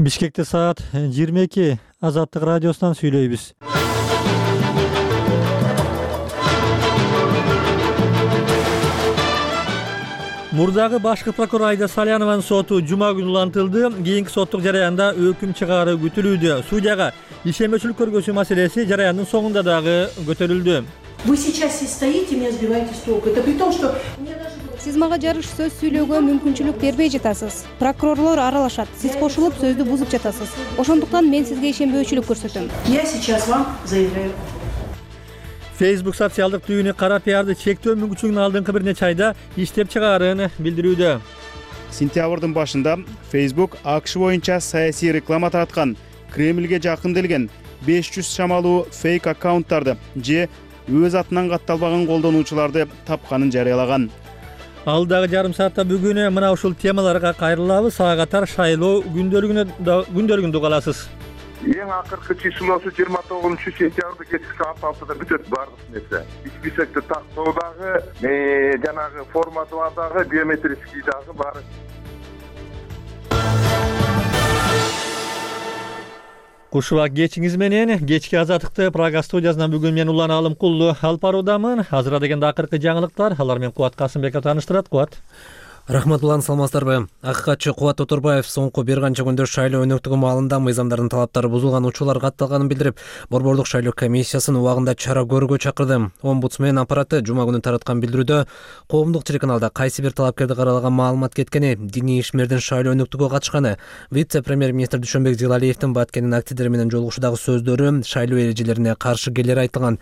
Бишкекте саат 22 Азаттык радиосунан сүйлөйбүз. Мурдагы башкы прокурор Айда Салянованын соту жума күнү улантылды. Кийинки соттук жараянда өкүм чыгаруу күтүлүүдө. Судьяга ишенбөөчүлүк көргөзүү маселеси жараяндын соңунда дагы көтөрүлдү. Вы сейчас здесь стоите, меня сбиваете с толку. Это при том, что Сиз мага жарыш сөз сүйлөөгө мүмкүнчүлүк бербей жатасыз. Прокурорлор аралашат. Сиз кошулуп сөздү бузуп жатасыз. Ошондуктан мен сизге ишенбөөчүлүк көрсөтөм. я сейчас вам заявляю. Facebook социалдык түйүнү кара пиарды чектөө мүмкүнчүлүгүнүн алдыңкы бир нече айда иштеп чыгаарын билдирүүдө. Сентябрдын башында Facebook АКШ боюнча саясий реклама тараткан, Кремльге жакын келген 500 шамалуу фейк аккаунттарды же өз атынан катталбаган колдонуучуларды тапканын жарыялаган. Алдагы жарым саатта бүгүн мына ушул темаларга кайрылабыз. Ага катар шайлоо күндөлүгүн угаласыз. Эң акыркы числосу 29-сентябрда кечки саат 6-да бүтөт бардык нерсе. Списокто тактоодагы, жанагы форматовадагы, биометрический дагы бар. Кушубак кечиңиз менен кечки Азаттыкты Прага студиясынан бүгүн мен Улан Алымкулду алып баруудамын. Азыр дегенде акыркы жаңылыктар. Алар менен Кубат Касымбеков тааныштырат. Кубат. Рахмат улан, саламатсыздарбы? Акыкатчы Кубат Оторбаев соңку бир канча күндө шайлоо өнөктүгү маалында мыйзамдардын талаптары бузулган учурлар катталганын билдирип, Борбордук шайлоо комиссиясын убагында чара көрүүгө чакырды. Омбудсмен аппараты жума күнү тараткан билдирүүдө коомдук телеканалда кайсы бир талапкерди каралаган маалымат кеткени, диний ишмердин шайлоо өнөктүгүгө катышканы, вице-премьер-министр Дүйшөнбек Зилалиевдин Баткендин активдери менен жолугушуудагы сөздөрү шайлоо эрежелерине каршы келери айтылган.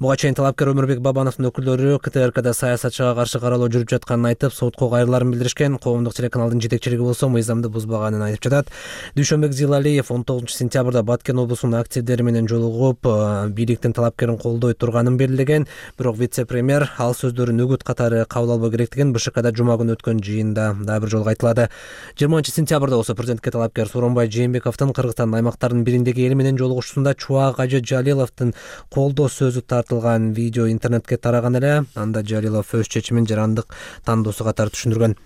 Буга чейин талапкер Өмүрбек Бабановдун өкүлдөрү КТРКда саясатчыга каршы каралоо жүрүп жатканын айтып, сотко кайрыларын билдиришкен. Коомдук телеканалдын жетекчилиги болсо мыйзамды бузбаганын айтып жатат. Дүйшөнбек Зилалиев 19-сентябрда Баткен облусунун активдери менен жолугуп, бийликтин талапкерин колдой турганын белгилеген, бирок вице-премьер ал сөздөрүн үгүт катары кабыл албоо керектигин БШКда жума күнү өткөн жыйында дагы бир жолу айтылады. 20-сентябрда болсо президентке талапкер Сооронбай Жээнбековдун Кыргызстандын аймактарынын бириндеги эли менен жолугушуусунда Чубак Ажы Жалиловдун колдоо сөзү тартылган видео интернетке тараган эле. Анда Жалилов өз чечимин жарандык тандоосу катары түшүндүргөн.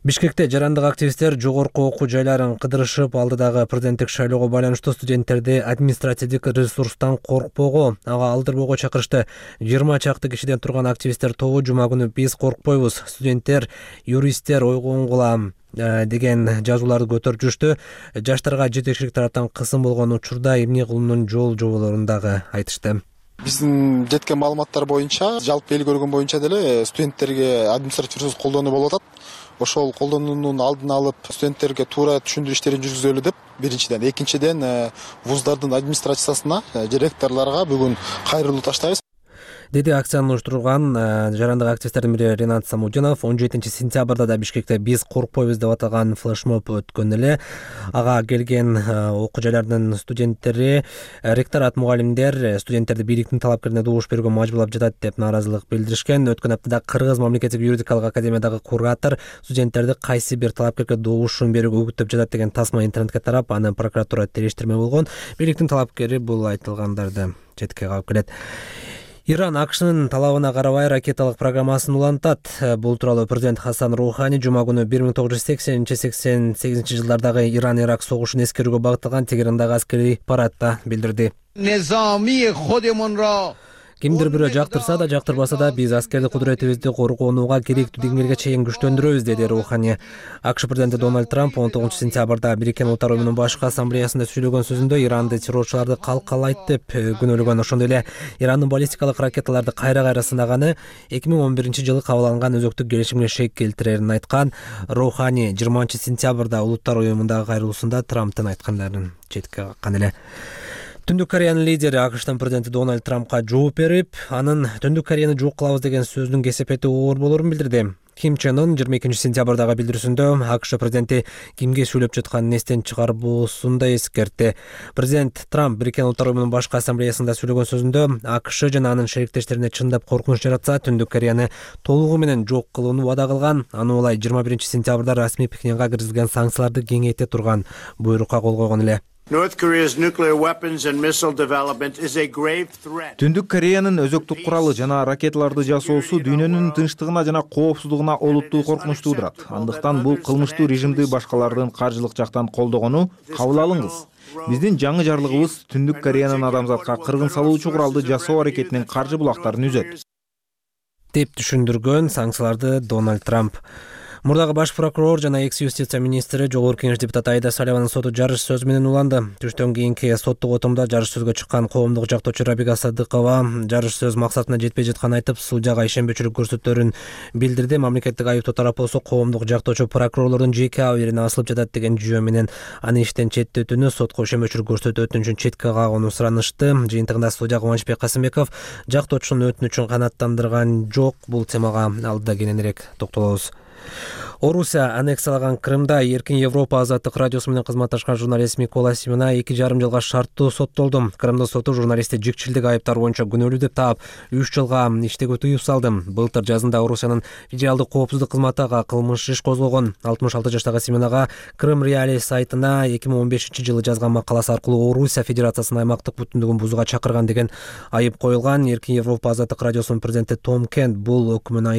Бишкекте жарандык активисттер жогорку окуу жайларын кыдырышып, алдыдагы президенттик шайлоого байланыштуу студенттерди административдик ресурстан коркпоого, ага алдырбоого чакырышты. 20 чакты кишиден турган активисттер тобу жума күнү биз коркпойбуз, студенттер, юристтер ойгонгула деген жазууларды көтөрүп жүрүштү. Жаштарга жетекчилик тараптан кысым болгон учурда эмне кылуунун жол жоболорун дагы айтышты. Биздин жеткен маалыматтар боюнча, жалпы эл көргөн боюнча деле студенттерге административ ресурс колдонуу болуп атат. Ошол колдонуунун алдын алып, студенттерге туура түшүндүрүү иштерин жүргүзөлү деп биринчиден, экинчиден вуздардын администрациясына, ректорлорго бүгүн кайрылуу таштайбыз. Деди акцияны уюштурган жарандык активисттердин бири Ренат Самудинов 17-сентябрда да Бишкекте биз коркпойбуз деп аталган флешмоб өткөн эле. Ага келген окуу жайлардын студенттери, ректорат, мугалимдер студенттерди бийликтин талапкерине добуш берүүгө мажбурлап жатат деп нааразылык билдиришкен. Өткөн аптада Кыргыз мамлекеттик юридикалык академиядагы куратор студенттерди кайсы бир талапкерге добушун берүүгө үгүттөп жатат деген тасма интернетке тарап, аны прокуратура териштирме болгон. Бийликтин талапкери бул айтылгандарды четке кагып келет. Иран АКШнын талабына карабай ракеталык программасын улантат. Бул тууралуу президент Хасан Роухани жума күнү 1980-88 жылдардагы Иран-Ирак согушун эскерүүгө багытталган Тегерандагы аскерий парадда билдирди. Кимдир бирөө жактырса да, жактырбаса да, биз аскердик кудуретибизди коргонууга керектүү деңгээлге чейин күчтөндүрөбүз, деди Роухани. АКШ президенти Дональд Трамп 19-сентябрда Бириккен Улуттар Уюмунун башкы ассамблеясында сүйлөгөн сөзүндө Иранды террорчуларды калкалайт деп күнөөлөгөн. Ошондой эле Ирандын баллистикалык ракеталарды кайра сынаганы 2011-жылы кабыл алынган өзөктүк келишимге шек келтирерин айткан. Роухани 20-сентябрда Улуттар Уюмундагы кайрылуусунда Трамптын айткандарын четке каккан эле. Түндүк Кореянын лидери АКШтын президенти Дональд Трампка жооп берип, анын Түндүк Кореяны жок кылабыз деген сөзүнүн кесепети оор болорун билдирди. Ким Чен Ын 22-сентябрдагы билдирүүсүндө АКШ президенти кимге сүйлөп жатканын эстен чыгарбоосун да эскертти. Президент Трамп Бириккен Улуттар Уюмунун башкы ассамблеясында сүйлөгөн сөзүндө АКШ жана анын шериктештерине чындап коркунуч жаратса, Түндүк Кореяны толугу менен жок кылууну вада кылган. Аны улай 21-сентябрда расмий Пекинге киргизилген санкцияларды кеңейте турган буйрукка кол койгон эле. North Korea's nuclear weapons and missile development is a grave threat. Түндүк Кореянын өзөктүк куралы жана ракеталарды жасоосу дүйнөнүн тынчтыгына жана коопсуздугуна олуттуу коркунуч туудурат. Андыктан бул кылмыштуу режимди башкалардын каржылык жактан колдогону кабыл алыңыз. Биздин жаңы жарлыгыбыз Түндүк Кореянын адамзатка кыргын салуучу куралды жасоо аракетинин каржы булактарын үзөт, деп түшүндүргөн санкцияларды Дональд Трамп. Мурдагы баш прокурор жана экс-юстиция министри Жогорку Кеңеш депутаты Аида Салиянованын соту жарыш сөз менен уланды. Түштөн кийинки соттук отурумда жарыш сөзгө чыккан коомдук жактоочу Рабига Садыкова жарыш сөз максатына жетпей жатканын айтып, судьяга ишенбечүлүк көрсөтөөрүн билдирди. Мамлекеттик айыптоо тарап болсо коомдук жактоочу прокурорлордун жеке абийирине асылып жатат деген жүйө менен аны иштен четтетүүнү, сотко ишенбечүлүк көрсөтүү өтүнүчүн четке кагууну суранышты. Жыйынтыгында судья Кубанычбек Касымбеков жактоочунун өтүнүчүн канааттандырган жок. Бул темага алдыда кененирээк токтолобуз. Орусия аннексиялаган Крымда Эркин Европа азаттык радиосу менен кызматташкан журналист Микола Симина 2,5 жылга шарттуу соттолду. Крымдын соту журналистти жикчилдик айыптары боюнча күнөөлүү деп таап 3 жылга иштөөгө тыюу салды. Былтыр жазында Орусиянын федералдык коопсуздук кызматы ага кылмыш иш козгогон. 66 жаштагы Симинага Крым Реали сайтына 2015-жылы жазган макаласы аркылуу Орусия Федерациясынын аймактык бүтүндүгүн бузууга чакырган деген айып коюлган. Эркин Европа азаттык радиосунун президенти Том Кент бул өкүмдү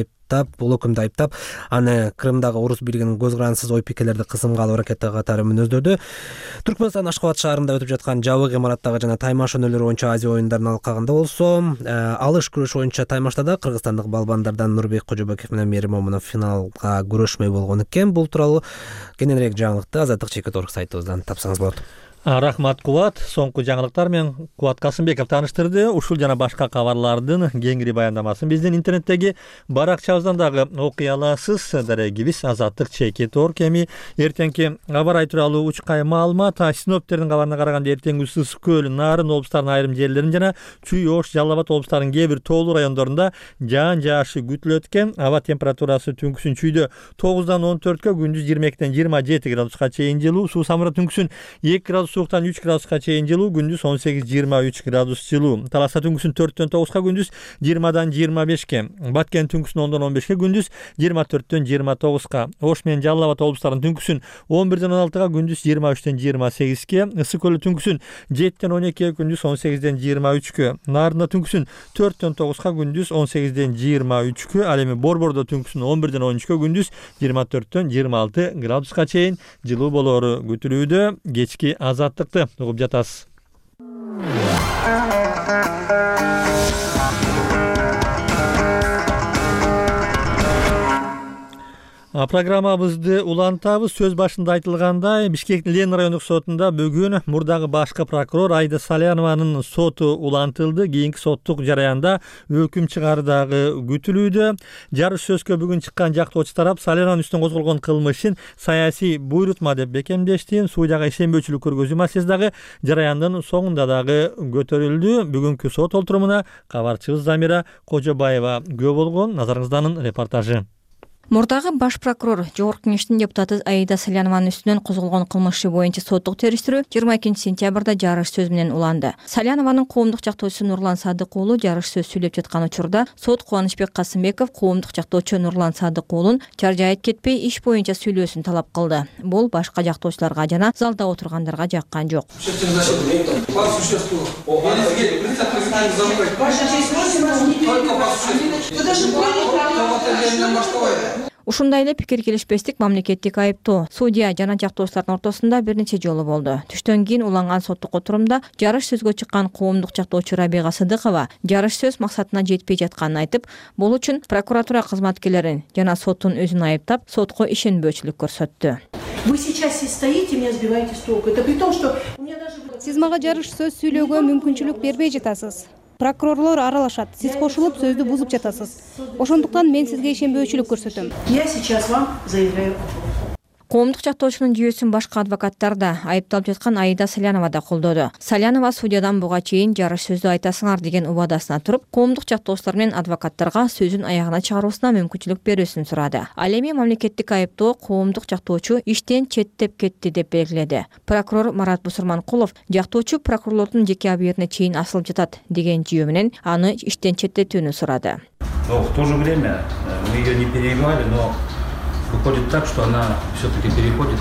айыптап, аны Крымдагы орус бийлигинин көз карандысыз ой пикирлерди кысымга алуу аракети катары мүнөздөрдү. Түркмөнстан Ашкабад шаарында өтүп жаткан жабык имараттагы жана таймаш өнөрлөрү боюнча Азия оюндарынын алкагында болсо, алыш күрөш боюнча таймаштада кыргызстандык балбандардан Нурбек Кожобеков менен Мээрим Момунов финалга күрөшмөй болгон экен. Бул тууралуу кененирээк жаңылыкты азаттык чекит.орг сайтыбыздан тапсаңыз болот. Рахмат Кубат. Соңку жаңылыктар менен Кубат Касымбеков тааныштырды. Ушул жана башка кабарлардын кеңири баяндамасын биздин интернеттеги баракчабыздан дагы окуй аласыз. Дарегибиз азаттык чекит.орг. Эми эртеңки аба ырайы тууралуу учкай маалымат. Синоптиктердин кабарына караганда эртең ысыс көл, Нарын облустарынын айрым жерлерин жана Чүй, Ош, Жалал Абад облустарынын кээ бир тоолуу райондорунда жаан жаашы күтүлөт экен. Аба температурасы түнкүсүн Чүйдө 9-дан 14-кө, күндүз 22-ден 27 градуска чейин жылуу, Суу Самырда түнкүсүн 2 градус сууктан 3 градуска чейин жылуу, күндүз 18-23 градус жылуу. Таласта түнкүсүн 4-төн 9-ка, күндүз 20-дан 25-ке. Баткен түнкүсүн 10-дон 15-ке, күндүз 24-төн 29-ка. Ош менен Жалал Абад облустарынын түнкүсүн 11-ден 16-ка, күндүз 23-төн 28-ке. Ысык көлдө түнкүсүн 7-ден 12-ке, күндүз 18-ден 23-кө. Нарында түнкүсүн 4-төн 9-ка, күндүз 18-ден 23-кө. Ал эми Борбордо түнкүсүн 11-ден 13-кө, күндүз 24-төн 26 градуска чейин жылуу болоору күтүлүүдө. Кечки азаттыкты угуп жатасыз. Программабызды улантабыз. Сөз башында айтылгандай, Бишкектин Ленин райондук сотунда бүгүн мурдагы башкы прокурор Аида Салиянованын соту улантылды. Кийинки соттук жараянда өкүм чыгардагы күтүлүүдө. Жарыш сөзгө бүгүн чыккан жактоочу тарап Салиянованын үстүнөн козголгон кылмышын саясий буйрутма деп бекемдешти. Судьяга ишенбөөчүлүк көргөзүү маселеси дагы жараяндын соңунда дагы көтөрүлдү. Бүгүнкү сот олтурумуна кабарчыбыз Замира Кожобаева күбө болгон. Назарыңызданын репортажы. Мурдагы баш прокурор Жогорку Кеңештин депутаты Аида Салиянованын үстүнөн козголгон кылмышы боюнча соттук териштирүү 22-сентябрда жарыш сөз менен уланды. Салиянованын коомдук жактоочусу Нурлан Садык уулу жарыш сөз сүйлөп жаткан учурда сот Кубанычбек Касымбеков коомдук жактоочу Нурлан Садык уулун чаржайып кетпей иш боюнча сүйлөөсүн талап кылды. Бул башка жактоочуларга жана залда отургандарга жаккан жок. Ушундай эле пикир келишпестик мамлекеттик айыптоо судья жана жактоочулардын ортосунда бир нече жолу болду. Түштөн кийин уланган соттук отурумда жарыш сөзгө чыккан коомдук жактоочу Рабига Садыкова жарыш сөз максатына жетпей жатканын айтып, бул үчүн прокуратура кызматкерлерин жана соттун өзүн айыптап, сотко ишенбөөчүлүк көрсөттү. Вы сейчас здесь стоите, меня сбиваете с толку. Это при том, что у меня даже... Сиз мага жарыш сөз сүйлөөгө мүмкүнчүлүк бербей жатасыз. Прокурорлор аралашат, сиз кошулуп сөздү бузуп жатасыз. Ошондуктан мен сизге ишенбөөчүлүк көрсөтөм. Я сейчас вам заявляю. Коомдук жактоочунун жүйөсүн башка адвокаттар да айыпталып жаткан Аида Салиянова да колдоду. Салиянова судьядан буга чейин жарыш сөздү айтасыңар деген убадасына туруп, коомдук жактоочулар менен адвокаттарга сөзүн аягына чыгаруусуна мүмкүнчүлүк берүүсүн сурады. Ал эми мамлекеттик айыптоо коомдук жактоочу иштен четтеп кетти деп белгиледи. Прокурор Марат Бусурманкулов жактоочу прокурорлордун жеке абийирине чейин асылып жатат деген жүйө менен аны иштен четтетүүнү сурады. Но в то же время мы ее не перебивали, но выходит так, что она все-таки переходит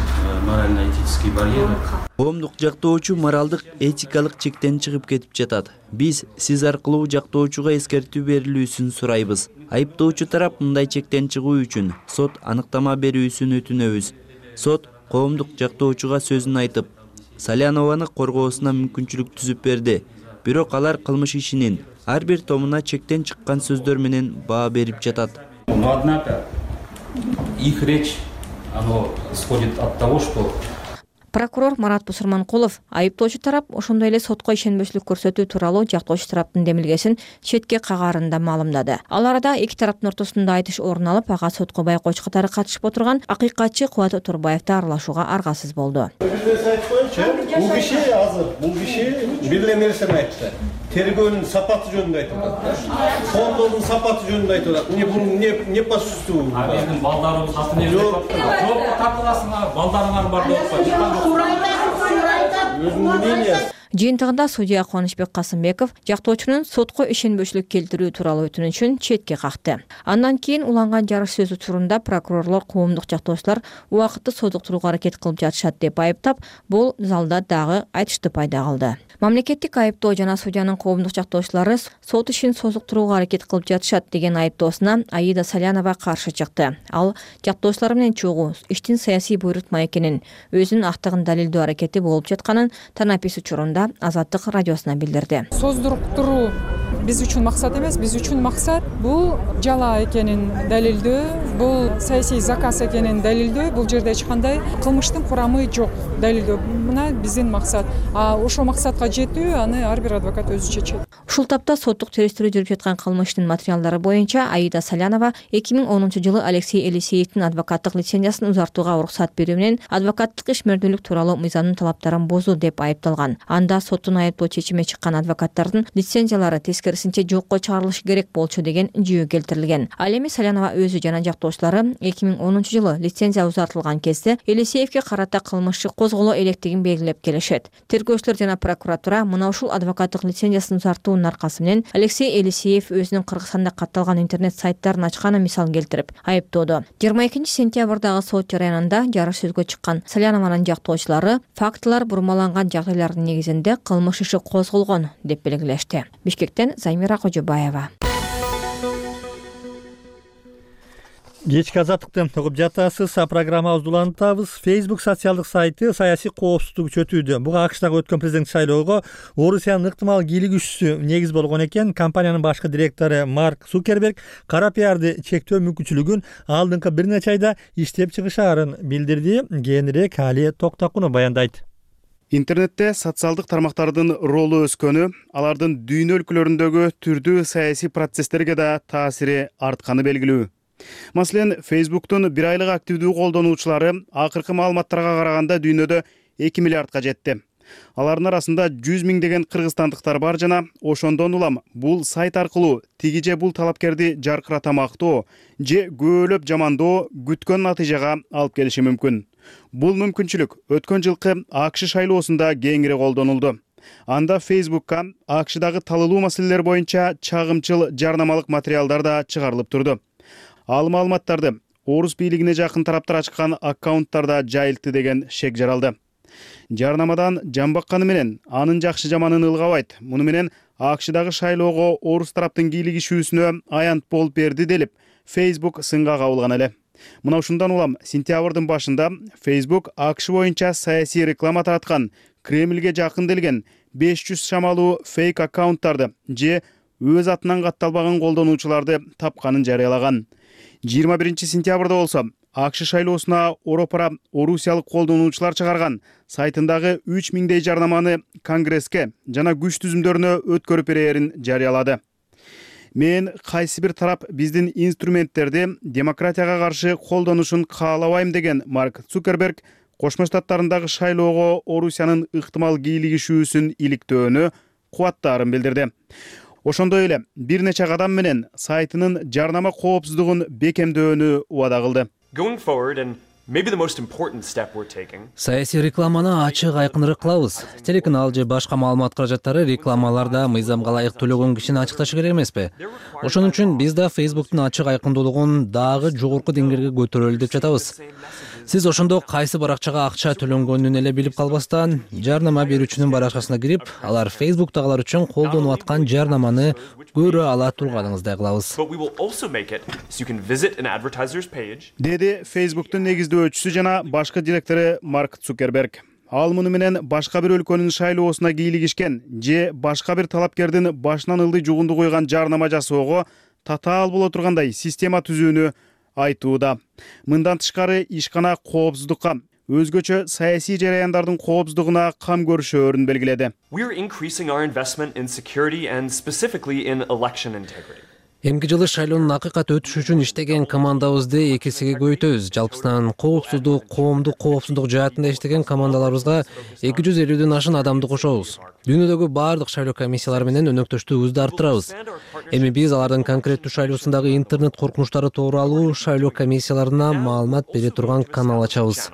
морально-этические барьеры. Коомдук жактоочу моралдык, этикалык чектен чыгып кетип жатат. Биз сиз аркылуу жактоочуга эскертүү берилүүсүн сурайбыз. Айыптоочу тарап мындай чектен чыгуу үчүн сот аныктама берүүсүн өтүнөбүз. Сот коомдук жактоочуга сөзүн айтып, Салянованы коргоосуна мүмкүнчүлүк түзүп берди. Бирок алар кылмыш ишинин ар бир томуна чектен чыккан сөздөр менен баа берип жатат. Но однако их речь, оно исходит от того, что Прокурор Марат Бусурманкулов айыптоочу тарап ошондой эле сотко ишенбөчүлүк көрсөтүү тууралуу жактоочу тараптын демилгесин четке кагарын да маалымдады. Ал арада эки тараптын ортосунда айтыш орун алып, ага сотко байкоочу катары катышып отурган акыйкатчы Кубат Оторбаев да аралашууга аргасыз болду. Бул киши азыр, бул киши бир эле нерсени айтты. Тергөөнүн сапаты жөнүндө айтып атат. Фонддун сапаты жөнүндө айтып атат. Не по сусту. биздин балдарыбыз атын жооп тартыласыңар, балдарыңар бар деп атпайбы. Өзүнүн мнениясы. Жыйынтыгында судья Кубанычбек Касымбеков жактоочунун сотко ишенбөчүлүк келтирүү тууралуу өтүнүчүн четке какты. Андан кийин уланган жарыш сөзү учурунда прокурорлор коомдук жактоочулар убакытты созуктурууга аракет кылып жатышат деп айыптап, бул залда дагы айтышты пайда кылды. Мамлекеттик айыптоо жана судьянын коомдук жактоочулары сот ишин созуктурууга аракет кылып жатышат деген айыптоосуна Аида Салянова каршы чыкты. Ал жактоочулар менен чогуу иштин саясий буйрутма экенин, өзүнүн актыгын далилдөө аракети болуп жатканын Танапис учурунда Азаттык радиосуна билдирди. Создуруктуруу биз үчүн максат эмес, биз үчүн максат бул жала экенин далилдөө, бул саясий заказ экенин далилдөө, бул жерде эч кандай кылмыштын курамы жок далилдөө. Мына биздин максат. Ошол максатка жетүү аны ар бир адвокат өзү чечет. Ушул тапта соттук териштирүү жүрүп жаткан кылмыштын материалдары боюнча Аида Салянова 2010-жылы Алексей Елисеевдин адвокаттык лицензиясын узартууга уруксат берүү менен адвокаттык ишмердүүлүк тууралуу мыйзамдын талаптарын бузуу деп айыпталган. Анда соттун айыптоо чечими чыккан адвокаттардын лицензиялары тескерисинче жокко чыгарылышы керек болчу деген жүйө келтирилген. Ал эми Салянова өзү жана жактоочулары 2010-жылы лицензия узартылган кезде Елисеевге карата кылмыш козголо электигин белгилеп келишет. Тергөөчүлөр жана прокуратура мына ушул адвокаттык лицензиясын узартуунун аркасы менен Алексей Елисеев өзүнүн Кыргызстанда катталган интернет сайттарын ачканын мисал келтирип айыптоодо. 22-сентябрдагы сот жараянында жарыш сөзгө чыккан Салянованын жактоочулары фактылар бурмаланган жагдайлардын негизинде кылмыш иши козголгон деп белгилешти. Бишкектен Займира Кожобаева. Кечки азаттыкты угуп жатасыз. Программабызды улантабыз. Facebook социалдык сайты саясий коопсуздук күчөтүүдө. Буга АКШдагы өткөн президент шайлоого Орусиянын ыктымал кийлик күчүсү негиз болгон экен. Компаниянын башкы директору Марк Цукерберг кара пиарды чектөө мүмкүнчүлүгүн алдыңкы бир нече айда иштеп чыгышаарын билдирди. Кийинирээк Али Токтакунов баяндайт. Интернетте социалдык тармактардын ролу өскөнү, алардын дүйнө өлкөлөрүндөгү түрдүү саясий процесстерге да таасири артканы белгилүү. Маселен, Facebooktун бир айлык активдүү колдонуучулары акыркы маалыматтарга караганда дүйнөдө 2 миллиардка жетти. Алардын арасында 100 миңдеген кыргызстандыктар бар жана ошондон улам бул сайт аркылуу тиги же бул талапкерди жаркыратамактоо же көөлөп жамандоо күткөн натыйжага алып келиши мүмкүн. Бул мүмкүнчүлүк өткөн жылкы АКШ шайлоосунда кеңири колдонулду. Анда Facebookка АКШдагы талылуу маселелер боюнча чагымчыл жарнамалык материалдар да чыгарылып турду. Ал маалыматтарды орус бийлигине жакын тараптар ачкан аккаунттарда жайылтты деген шек жаралды. Жарнамадан жамбакканы менен анын жакшы жаманын ылгабайт. Муну менен АКШдагы шайлоого орус тараптын кийлигишүүсүнө аянт болуп берди делип, Facebook сынга кабылган эле. Мына ушундан улам сентябрдын башында Facebook АКШ боюнча саясий реклама тараткан Кремльге жакын делген 500 шамалуу фейк аккаунттарды же өз атынан катталбаган колдонуучуларды тапканын жарыялаган. 21-сентябрда болсо АКШ шайлоосуна Оропара орусиялык колдонуучулар чыгарган сайтындагы 3000дей жарнаманы Конгресске жана күч түзүмдөрүнө өткөрүп берээрин жарыялады. Мен кайсы бир тарап биздин инструменттерди демократияга каршы колдонушун каалабайм деген Марк Цукерберг Кошмо Штаттарындагы шайлоого Орусиянын ыктымал кийлигишүүсүн иликтөөнү кубаттаарын билдирди. Ошондой эле бир нече кадам менен сайтынын жарнама коопсуздугун бекемдөөнү убада кылды. Саясий рекламаны ачык айкыныраак кылабыз. Телеканал же башка маалымат каражаттары рекламаларда мыйзамга ылайык төлөгөн кишини ачыкташы керек эмеспи? Ошон үчүн биз да Facebooktун ачык айкындуулугун дагы жогорку деңгээлге көтөрөлү деп жатабыз. Сиз ошондо кайсы баракчага акча төлөнгөнүн эле билип калбастан, жарнама берүүчүнүн баракчасына кирип, алар Facebook'тагылар үчүн колдонуп аткан жарнаманы көрө ала турганыңыздай кылабыз. Деди Facebook'тун негиздөөчүсү жана башкы директору Марк Цукерберг. Ал муну менен башка бир өлкөнүн шайлоосуна кийлигишкен же башка бир талапкердин башынан ылдый жугунду койгон жарнама жасоого татаал боло тургандай система түзүүнү айтууда. Мындан тышкары ишкана коопсуздукка, өзгөчө саясий жараяндардын коопсуздугуна кам көрүшөөрүн белгиледи. Эмки жылы шайлоонун акыйкат өтүшү үчүн иштеген командабызды 2 эсеге көбөйтөбүз. Жалпысынан коопсуздук, коомдук коопсуздук жаатында иштеген командаларыбызга 250ден ашын адамды кошобуз. Дүйнөдөгү баардык шайлоо комиссиялары менен өнөктөштүгүбүздү арттырабыз. Эми биз алардын конкреттүү шайлоосундагы интернет коркунучтары тууралуу шайлоо комиссияларына маалымат бере турган канал ачабыз.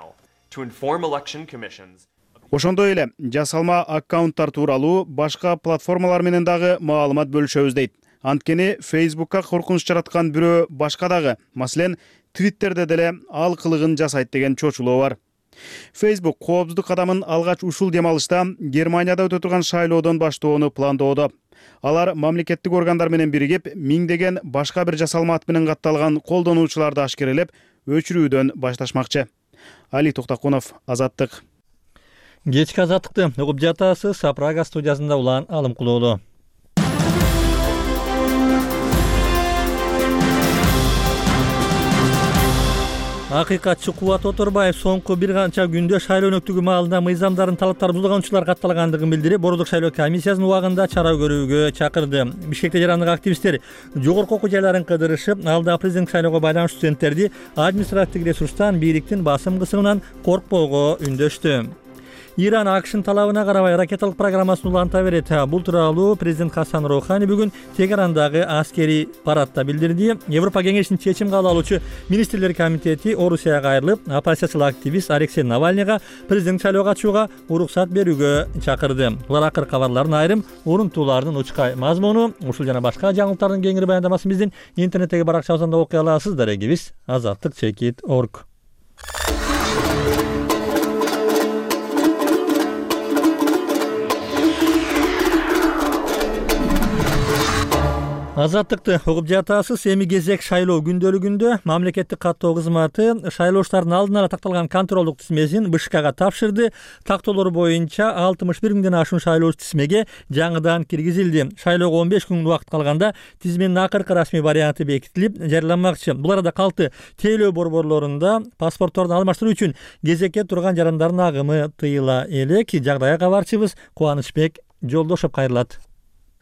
Ошондой эле жасалма аккаунттар тууралуу башка платформалар менен дагы маалымат бөлүшөбүз дейт. Анткени Facebook'ка коркунуч жараткан бирөө башка дагы, маселен, Twitter'де деле ал кылыгын жасайт деген чочулоо бар. Facebook коопсуздук кадамын алгач ушул демалышта Германияда өтө турган шайлоодон баштоону пландоодо. Алар мамлекеттик органдар менен биригип, миңдеген башка бир жасалма ат менен катталган колдонуучуларды ашкерелеп, өчүрүүдөн башташмакчы. Али Токтакунов, Азаттык. Кечки Азаттыкты угуп жатасыз. Прага студиясында Улан Алымкулуулу. Акыйкатчы Кубат Оторбаев соңку бир канча күндө шайлоо өнөктүгү маалында мыйзамдардын талаптарын бузганчылар катталгандыгын билдирип, Борбордук шайлоо комиссиясынын убагында чара көрүүгө чакырды. Бишкекте жарандык активисттер жогорку окуу жайларын кыдырышып, алда президенттик шайлоого байланыштуу студенттерди административдик ресурстан, бийликтин басым кысымынан коркпоого үндөштү. Иран АКШнын талабына карабай ракеталык программасын уланта берет. Бул тууралуу президент Хасан Роухани бүгүн Тегерандагы аскерий парадта билдирди. Европа кеңешинин чечим кабыл алуучу министрлер комитети Орусияга айрылып, оппозициялык активист Алексей Навальныйга президент шайлоого катышууга уруксат берүүгө чакырды. Булар акыркы кабарлардын айрым урунтуулардын учкай мазмуну. Ушул жана башка жаңылыктардын кеңири баяндамасын биздин интернеттеги баракчабыздан окуй аласыз. Дарегибиз azattik.org. Азаттыкты угуп жатасыз. Эми кезек шайлоо күндөлүгүндө мамлекеттик каттоо кызматы шайлоочулардын алдын ала такталган контролдук тизмесин БШКга тапшырды. Тактоолор боюнча 61 миңден ашуун шайлоочу тизмеге жаңыдан киргизилди. Шайлоого 15 күн убакыт калганда тизменин акыркы расмий варианты бекитилип жарыяланмакчы. Бул арада калкты тейлөө борборлорунда паспортторду алмаштыруу үчүн кезекке турган жарандардын агымы тыйыла элек. Жагдайга кабарчыбыз Кубанычбек Жолдошов кайрылат.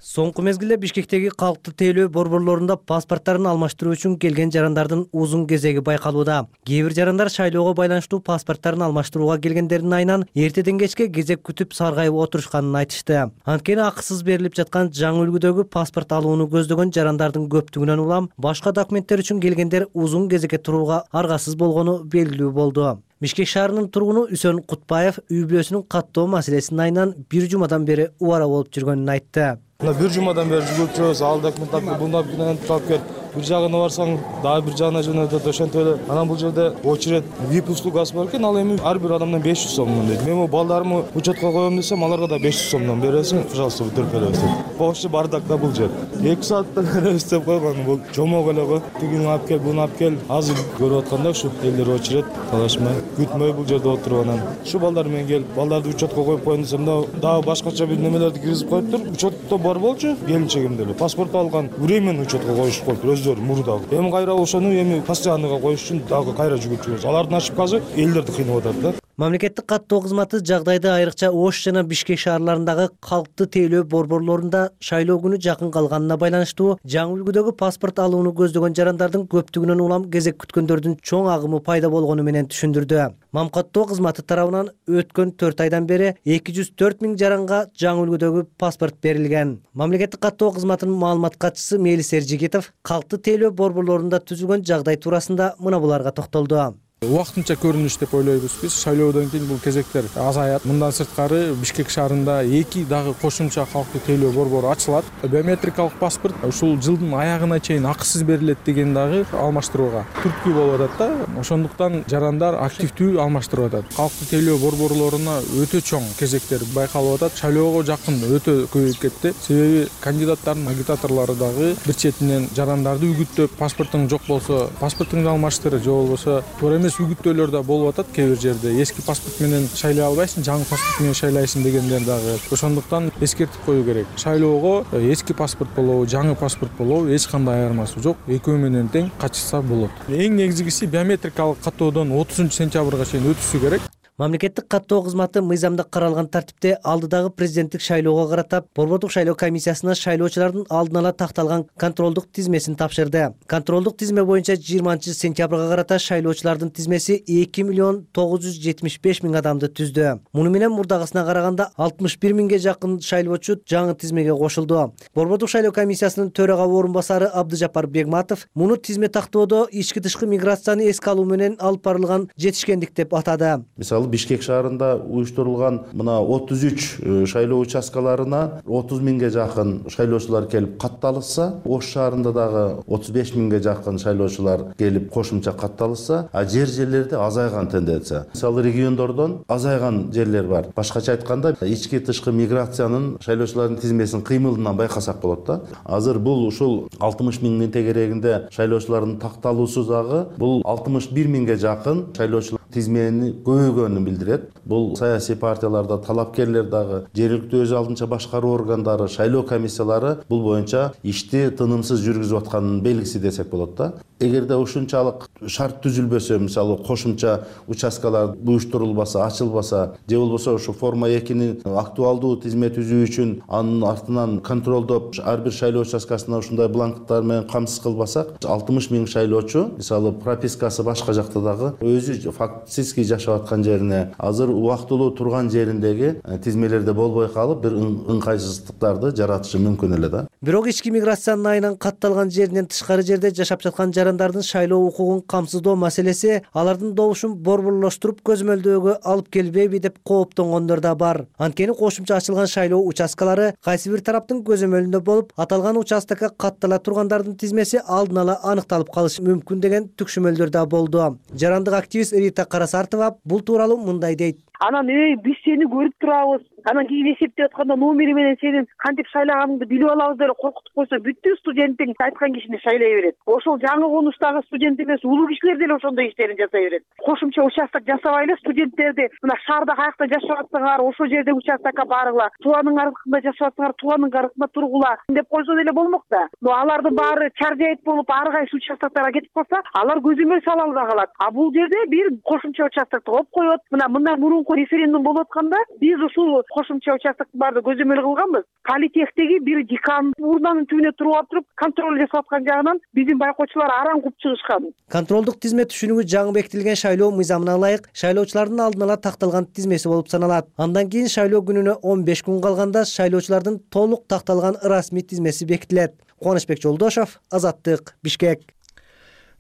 Соңку мезгилде Бишкектеги калктуу тейлөө борборлорунда паспорттарын алмаштыруу үчүн келген жарандардын узун кезеги байкалууда. Кээ бир жарандар шайлоого байланыштуу паспорттарын алмаштырууга келгендердин айынан эртеден кечке кезек күтүп саргайып отурушканын айтышты. Анткени акысыз берилип жаткан жаңы үлгүдөгү паспорт алууну көздөгөн жарандардын көптүгүнөн улам башка документтер үчүн келгендер узун кезекке турууга аргасыз болгону белгилүү болду. Бишкек шаарынын тургуну Үсөн Кутбаев үй бүлөсүнүн каттоо маселесинин айынан бир жумадан бери убара болуп жүргөнүн айтты. Бир жумадан бери жүгүрүп жүрөбүз, ал документ алып кел, бул документ алып кел. Бир жагына барсаң, дагы бир жагына жөнөтөт, ошентип эле. Анан бул жерде очередь VIP услугасы бар экен, ал эми ар бир адамдан 500 сомдон дейт. Мен балдарымы учетко коем десем, аларга да 500 сомдон бересиң, пожалуйста, өтүрүп дейт. Вообще бардакта бул жер. 2 сааттан беребиз деп койгон, бул жомок эле го. Тигини алып кел, буну алып кел. Азыр көрүп атканда ушу элдер очередь талашмай, күтмөй бул жерде отуруп анан. Ушу балдар менен келип, балдарды учетко коюп коем десем да, дагы башкача бир немелерди киргизип коюптур. Учетто бар болчу, келинчегимде эле паспорт алган, временно учетко коюшуп коюптур өздөрү мурдагы. Эми кайра ошону эми постоянныйга коюш үчүн дагы кайра жүгүрүп жүрөбүз. Алардын ошибкасы элдерди кыйнап атат да. Мамлекеттик каттоо кызматы жагдайды айрыкча Ош жана Бишкек шаарларындагы калктуу тейлөө борборлорунда шайлоо күнү жакын калганына байланыштуу жаңы үлгүдөгү паспорт алууну көздөгөн жарандардын көптүгүнөн улам кезек күткөндөрдүн чоң агымы пайда болгону менен түшүндүрдү. Мамкаттоо кызматы тарабынан өткөн 4 айдан бери 204 миң жаранга жаңы үлгүдөгү паспорт берилген. Мамлекеттик каттоо кызматынын маалымат катчысы Мелис Эржигитов калктуу тейлөө борборлорунда түзүлгөн жагдай туурасында мына буларга токтолду. Убактынча көрүнүш деп ойлойбуз биз. Шайлоодон кийин бул кезектер азаят. Мындан сырткары Бишкек шаарында 2 дагы кошумча калктык тейлөө борбору ачылат. Биометрикалык паспорт ушул жылдын аягына чейин акысыз берилет деген дагы алмаштырууга түрткү болуп атат да. Ошондуктан жарандар активдүү алмаштырып атат. Калктык тейлөө борборлоруна өтө чоң кезектер байкалып атат. Шайлоого жакын өтө көбөйүп кетти. Себеби кандидаттардын агитаторлору дагы бир четинен жарандарды үгүттөп, паспортуң жок болсо паспортуңду алмаштыр, же болбосо туура эмес үгүттөөлөр да болуп атат. Кээ бир жерде эски паспорт менен шайлай албайсың, жаңы паспорт менен шайлайсың дегендер дагы. Ошондуктан эскертип коюу керек. Шайлоого эски паспорт болобу, жаңы паспорт болобу эч кандай айырмасы жок. Экөө менен тең катышса болот. Эң негизгиси биометрикалык каттоодон 30 сентябрга чейин өтүшү керек. Мамлекеттик каттоо кызматы мыйзамда каралган тартипте алдыдагы президенттик шайлоого карата борбордук шайлоо комиссиясына шайлоочулардын алдын ала такталган контролдук тизмесин тапшырды. Контролдук тизме боюнча 20-сентябрга карата шайлоочулардын тизмеси 2,975,000 адамды түздү. Муну менен мурдагысына караганда 61,000ге жакын шайлоочу жаңы тизмеге кошулду. Борбордук шайлоо комиссиясынын төрага орун басары Абдыжапар Бегматов муну тизме тактоодо ички-тышкы миграцияны эске алуу менен алып барылган жетишкендик деп атады. Бишкек шаарында уюштурулган мына 33 шайлоо участкаларына 30,000ге жакын шайлоочулар келип катталышса, Ош шаарында дагы 35,000ге жакын шайлоочулар келип кошумча катталышса, жерлерде азайган тенденция. Мисалы региондордон азайган жерлер бар. Башкача айтканда, ички-тышкы миграциянын шайлоочулардын тизмесин кыймылынан байкасак болот да. Азыр бул ушул 60,000 тегерегинде шайлоочулардын такталуусу дагы бул 61,000ге жакын шайлоочулар тизмени көбөйгөнүн билдирет. Бул саясий партияларда талапкерлер дагы, жергиликтүү өз алдынча башкаруу органдары, шайлоо комиссиялары бул боюнча ишти тынымсыз жүргүзүп атканын белгиси десек болот да. Эгерде ушунчалык шарт түзүлбөсө, мисалы кошумча участкалар уюштурулбаса, ачылбаса, же болбосо ушу форма 2-нин актуалдуу тизме түзүү үчүн анын артынан контролдоп ар бир шайлоо участкасына ушундай бланктар менен камсыз кылбасак, 60,000 шайлоочу, мисалы пропискасы башка жакта дагы өзү фактически жашап аткан жерине, азыр убактылуу турган жериндеги тизмелерде болбой калып, бир ыңгайсыздыктарды жаратышы мүмкүн эле да. Бирок ички миграциянын айынан катталган жеринен тышкары жерде жашап жаткан жарандардын шайлоо укугун камсыздоо маселеси алардын добушун борборлоштуруп көзөмөлдөөгө алып келбейби деп кооптонгондор да бар. Анткени кошумча ачылган шайлоо участкалары кайсы бир тараптын көзөмөлүндө болуп, аталган участокко каттала тургандардын тизмеси алдын ала аныкталып калышы мүмкүн деген түкшүмөлдөр да болду. Жарандык активист Рита Карасартова бул тууралуу мындай дейт. Анан биз сени көрүп турабыз. Анан кийин эсептеп атканда номери менен сенин кантип шайлаганыңды билип алабыз деп коркутуп койсо, бүттү студенттиң айткан кишини шайлай берет. Ошол жаңы конуштагы студент эмес, улуу кишилер деле ошондой иштерин жасай берет. Кошумча участок жасабайлы, студенттерди мына шаарда каякта жашап атсаңар, ошол жерде участокко баргыла, тууганын аркында жашап атсаңар, тууганын аркында тургула деп койсо деле болмок да. Но алардын баары чаржайыт болуп, ар кайсы участокторго кетип калса, алар көзөмөл сала албай калат. А бул жерде бир кошумча участокты коюп коет. Мына мындан мурунку референдум болуп атканда биз ушул кошумча участоктун баарды көзөмөл кылганбыз. Политехтеги бир декан урнанын түбүнө туруп туруп контроль жасап аткан жагынан биздин байкоочулар араң куп чыгышкан. Контролдук тизме түшүнүгү жаңы бекитилген шайлоо мыйзамына ылайык шайлоочулардын алдын ала такталган тизмеси болуп саналат. Андан кийин шайлоо күнүнө 15 күн калганда шайлоочулардын толук такталган расмий тизмеси бекитилет. Кубанычбек Жолдошов, Азаттык, Бишкек.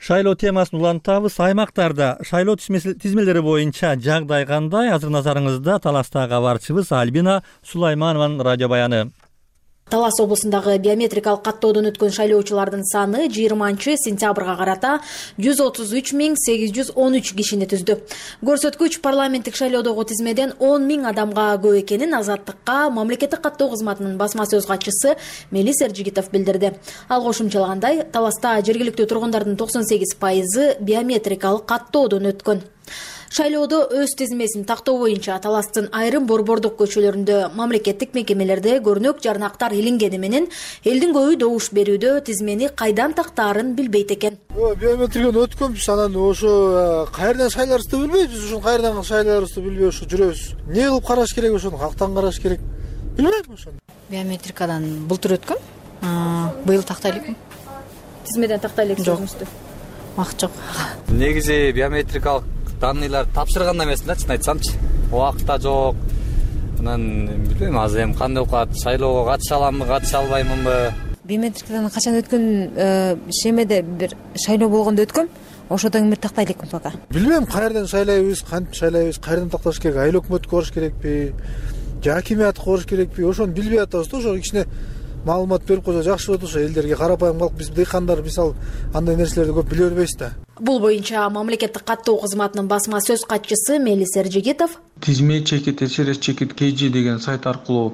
Шайлоо темасын улантабыз. Аймактарда шайлоо тизмелери боюнча жагдай кандай? Азыр назарыңызда Таластагы кабарчыбыз Альбина Сулайманованын радио баяны. Талас облусундагы биометрикалык каттоодон өткөн шайлоочулардын саны 20-сентябрга карата 133,813 кишини түздү. Көрсөткүч парламенттик шайлоодогу тизмеден 10,000 адамга көп экенин Азаттыкка мамлекеттик каттоо кызматынын басма сөз катчысы Мелис Эржигитов билдирди. Ал кошумчалагандай, Таласта жергиликтүү тургундардын 98% биометрикалык каттоодон өткөн. Шайлоодо өз тизмесин тактоо боюнча Таластын айрым борбордук көчөлөрүндө мамлекеттик мекемелерде көрнөк жарнактар илингени менен элдин көбү добуш берүүдө тизмени кайдан тактаарын билбейт экен. Биометрикаден өткөнбүз, анан ошо кайерден шайларыбызды билбейбиз, ошо кайерден шайларыбызды билбей ошо жүрөбүз. Эмне кылып караш керек, ошону кактан караш керек? Билбейм ошону. Биометрикадан былтыр өткөм. Быйыл тактай элекмин. Тизмеден тактай элексизби? Убакыт жок. Негизи биометрикалык данныйлар тапшырганда эмесмин да, чын айтсамчы. Убакыт да жок. Анан билбейм, азыр эми кандай окуат, шайлоого катыша аламбы, катыша албаймынбы? Биометрикадан качан өткөн, шемеде бир шайлоо болгондо өткөм. ошодон үмүт тактай элекпи пока? Билбейм, каерден шайлайбыз, кантип шайлайбыз, каерден такташ керек, айыл өкмөткө барыш керекпи, же акимиятка барыш керекпи, ошону билбей атабыз да. Ошо кичине маалымат берип койсо жакшы болот. Ошо элдерге, карапайым калк, биз дыйкандар мисалы андай нерселерди көп биле бербейбиз да. Бул боюнча мамлекеттик каттоо кызматынын басма сөз катчысы Мелис Эржигитов тизме чекит через чекит KG деген сайт аркылуу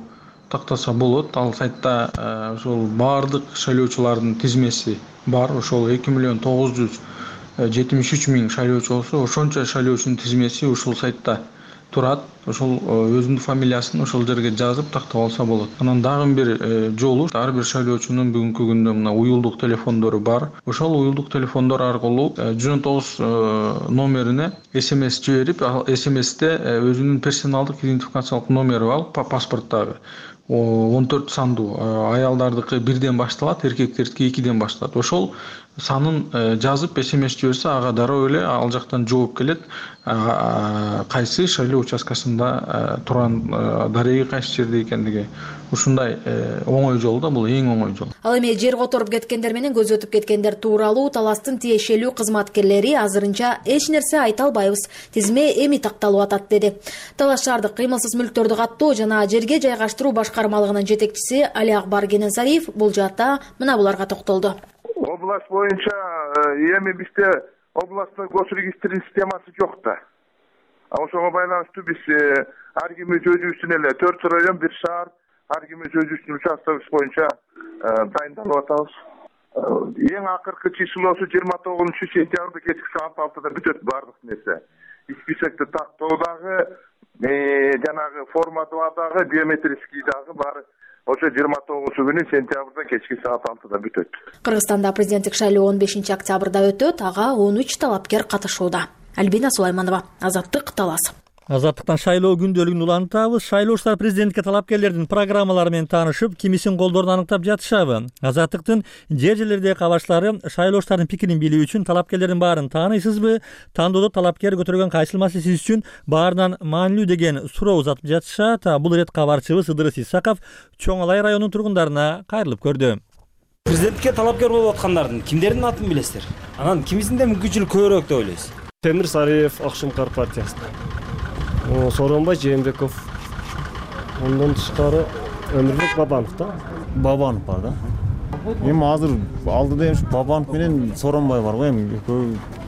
тактаса болот. Ал сайтта ошол баардык шайлоочулардын тизмеси бар. Ошол 2.973.000 шайлоочу болсо, ошончо шайлоочунун тизмеси ушул сайтта турат. Ошол өзүнүн фамилиясын ошол жерге жазып тактап алса болот. Анан дагы бир жолу ар бир шайлоочунун бүгүнкү күндө мына уюлдук телефондору бар. Ошол уюлдук телефондор аркылуу 119 номерине SMS жиберип, ал SMS'те өзүнүн персоналдык идентификациялык номери бар, паспорттагы 14 сандуу, аялдардыкы 1ден башталат, эркектердики 2ден башталат. Ошол санын жазып SMS жиберсе, ага дароо эле ал жактан жооп келет. Кайсы шайлоо участкасында турган дареги кайсы жерде экендиги. Ушундай оңой жол да, бул эң оңой жол. Ал эми жер которуп кеткендер менен көз өтүп кеткендер тууралуу таластын тиешелүү кызматкерлери азырынча эч нерсе айта албайбыз. Тизме эми такталып атат деди. Талаш шаардык кыймылсыз мүлктөрдү каттоо жана жерге жайгаштыруу башкармалыгынын жетекчиси Али Акбар Кененсариев бул жаатта мына буларга токтолду. Область боюнча эми бизде областтын госрегистринин системасы жок да. Ошого байланыштуу биз ар кимиз өзүбүздүн эле 4 район, 1 шаар, ар кимиз өзүбүздүн участкыбыз боюнча дайындалып атабыз. Эң акыркы числосу 29-сентябрда кечки саат 6-да бүтөт баардык нерсе. Списокты тактоодагы, жанагы форматовадагы, биометрический дагы баары ошо 29 сентябрда кечки саат 6-да бүтөт. Кыргызстанда президенттик шайлоо 15 октябрда өтөт, ага 13 талапкер катышууда. Альбина Сулайманова, Азаттык, Талас. Азаттыктан шайлоо күндөлүгүн улантабыз. Шайлоочулар президентке талапкерлердин программалары менен таанышып, кимисин колдоруун аныктап жатышабы. Азаттыктын жер-жерлердеги кабарчылары шайлоочулардын пикирин билүү үчүн талапкерлердин баарын тааныйсызбы? Тандоодо талапкер көтөргөн кайсыл маселе сиз үчүн баарынан маанилүү деген суроо узатып жатышат. Бул ирет кабарчыбыз Ыдырыс Исаков Чоң Алай районунун тургундарына кайрылып көрдү. Президентке талапкер болуп аткандардын кимдердин атын билесиздер? Анан кимисинде мүмкүнчүлүк көбүрөөк деп ойлойсуз? Темир Сариев, Акшымкар партиясында. Сооронбай Жээнбеков. Ondan тышкары Өмүрбек Бабанов да. Бабанов бар да. Эми азыр алдыда эми Бабанов менен Сооронбай бар го, эми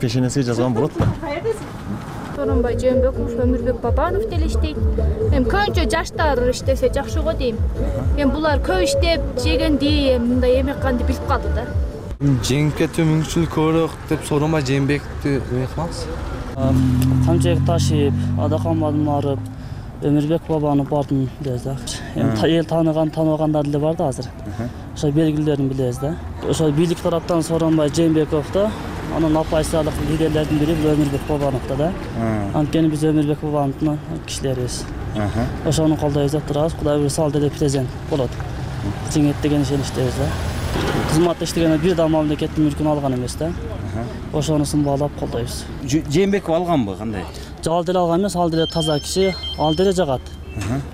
пешенесине жазган болот да. Сооронбай Жээнбеков, Өмүрбек Бабанов деле иштейт. Эми көбүнчө жаштар иштесе жакшы го дейм. Эми булар көп иштеп, жегенди, мындай эме канды билип калды да. Жеңке мүмкүнчүлүк көбүрөөк деп Сооронбай Жээнбековду кылабыз. Камчек Ташиев, Адакан Мадумаров, Өмүрбек Бабанов бардым дейбиз да. Эл тааныбагандар деле бар да азыр. Ошо белгилерин билебиз да. Ошо бийлик тараптан Сооронбай Жээнбеков да, анан оппозициялык лидерлердин бири Өмүрбек Бабанов да. Анткени биз Өмүрбек Бабановдун кишилерибиз. Ошону колдойбуз деп турабыз. Кудай буйруса ал деле президент болот. Жеңет деген ишеничтебиз да. Кызматта иштегенде бир да мамлекеттин мүлкүн алган эмес да. Ошонусун баалап колдойбуз. Жээнбеков алганбы, кандай? Ал деле алган эмес, ал деле таза киши, ал деле жагат.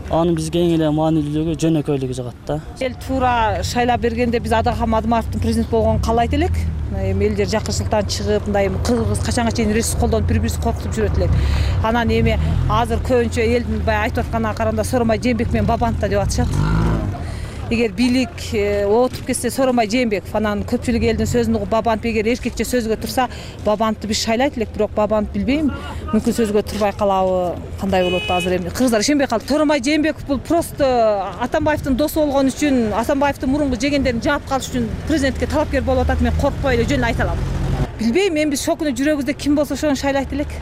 Анын бизге эң эле маанилүүлүгү жөнөкөйлүгү жагат да. Эл туура шайлап бергенде биз Адакан Мадумаровдун президент болгонун каалайт элек. Эми элдер жакынчылыктан чыгып, мындай кыргыз качанга чейин ресурс колдонуп бири-бирин коркутуп жүрөт элек. Анан эми азыр көбүнчө элдин баягы айтып атканына караганда Сооронбай Жээнбеков менен Бабанов да деп атышат. Эгер бийлик отуруп кетсе Сооронбай Жээнбеков, анан көпчүлүк элдин сөзүн угуп Бабанов эгер эркекче сөзгө турса, Бабановду биз шайлайт элек, бирок Бабанов билбейм, мүмкүн сөзгө турбай калабы, кандай болот азыр эми. Кыргыздар ишенбей калды. Сооронбай Жээнбеков бул просто Атамбаевдин досу болгон үчүн, Атамбаевдин мурунку жегендерин жаап калыш үчүн президентке талапкер болуп атат, мен коркпой эле жөнүн айта алам. Билбейм, эми биз шокуну жүрөгүбүздө ким болсо ошону шайлайт элек.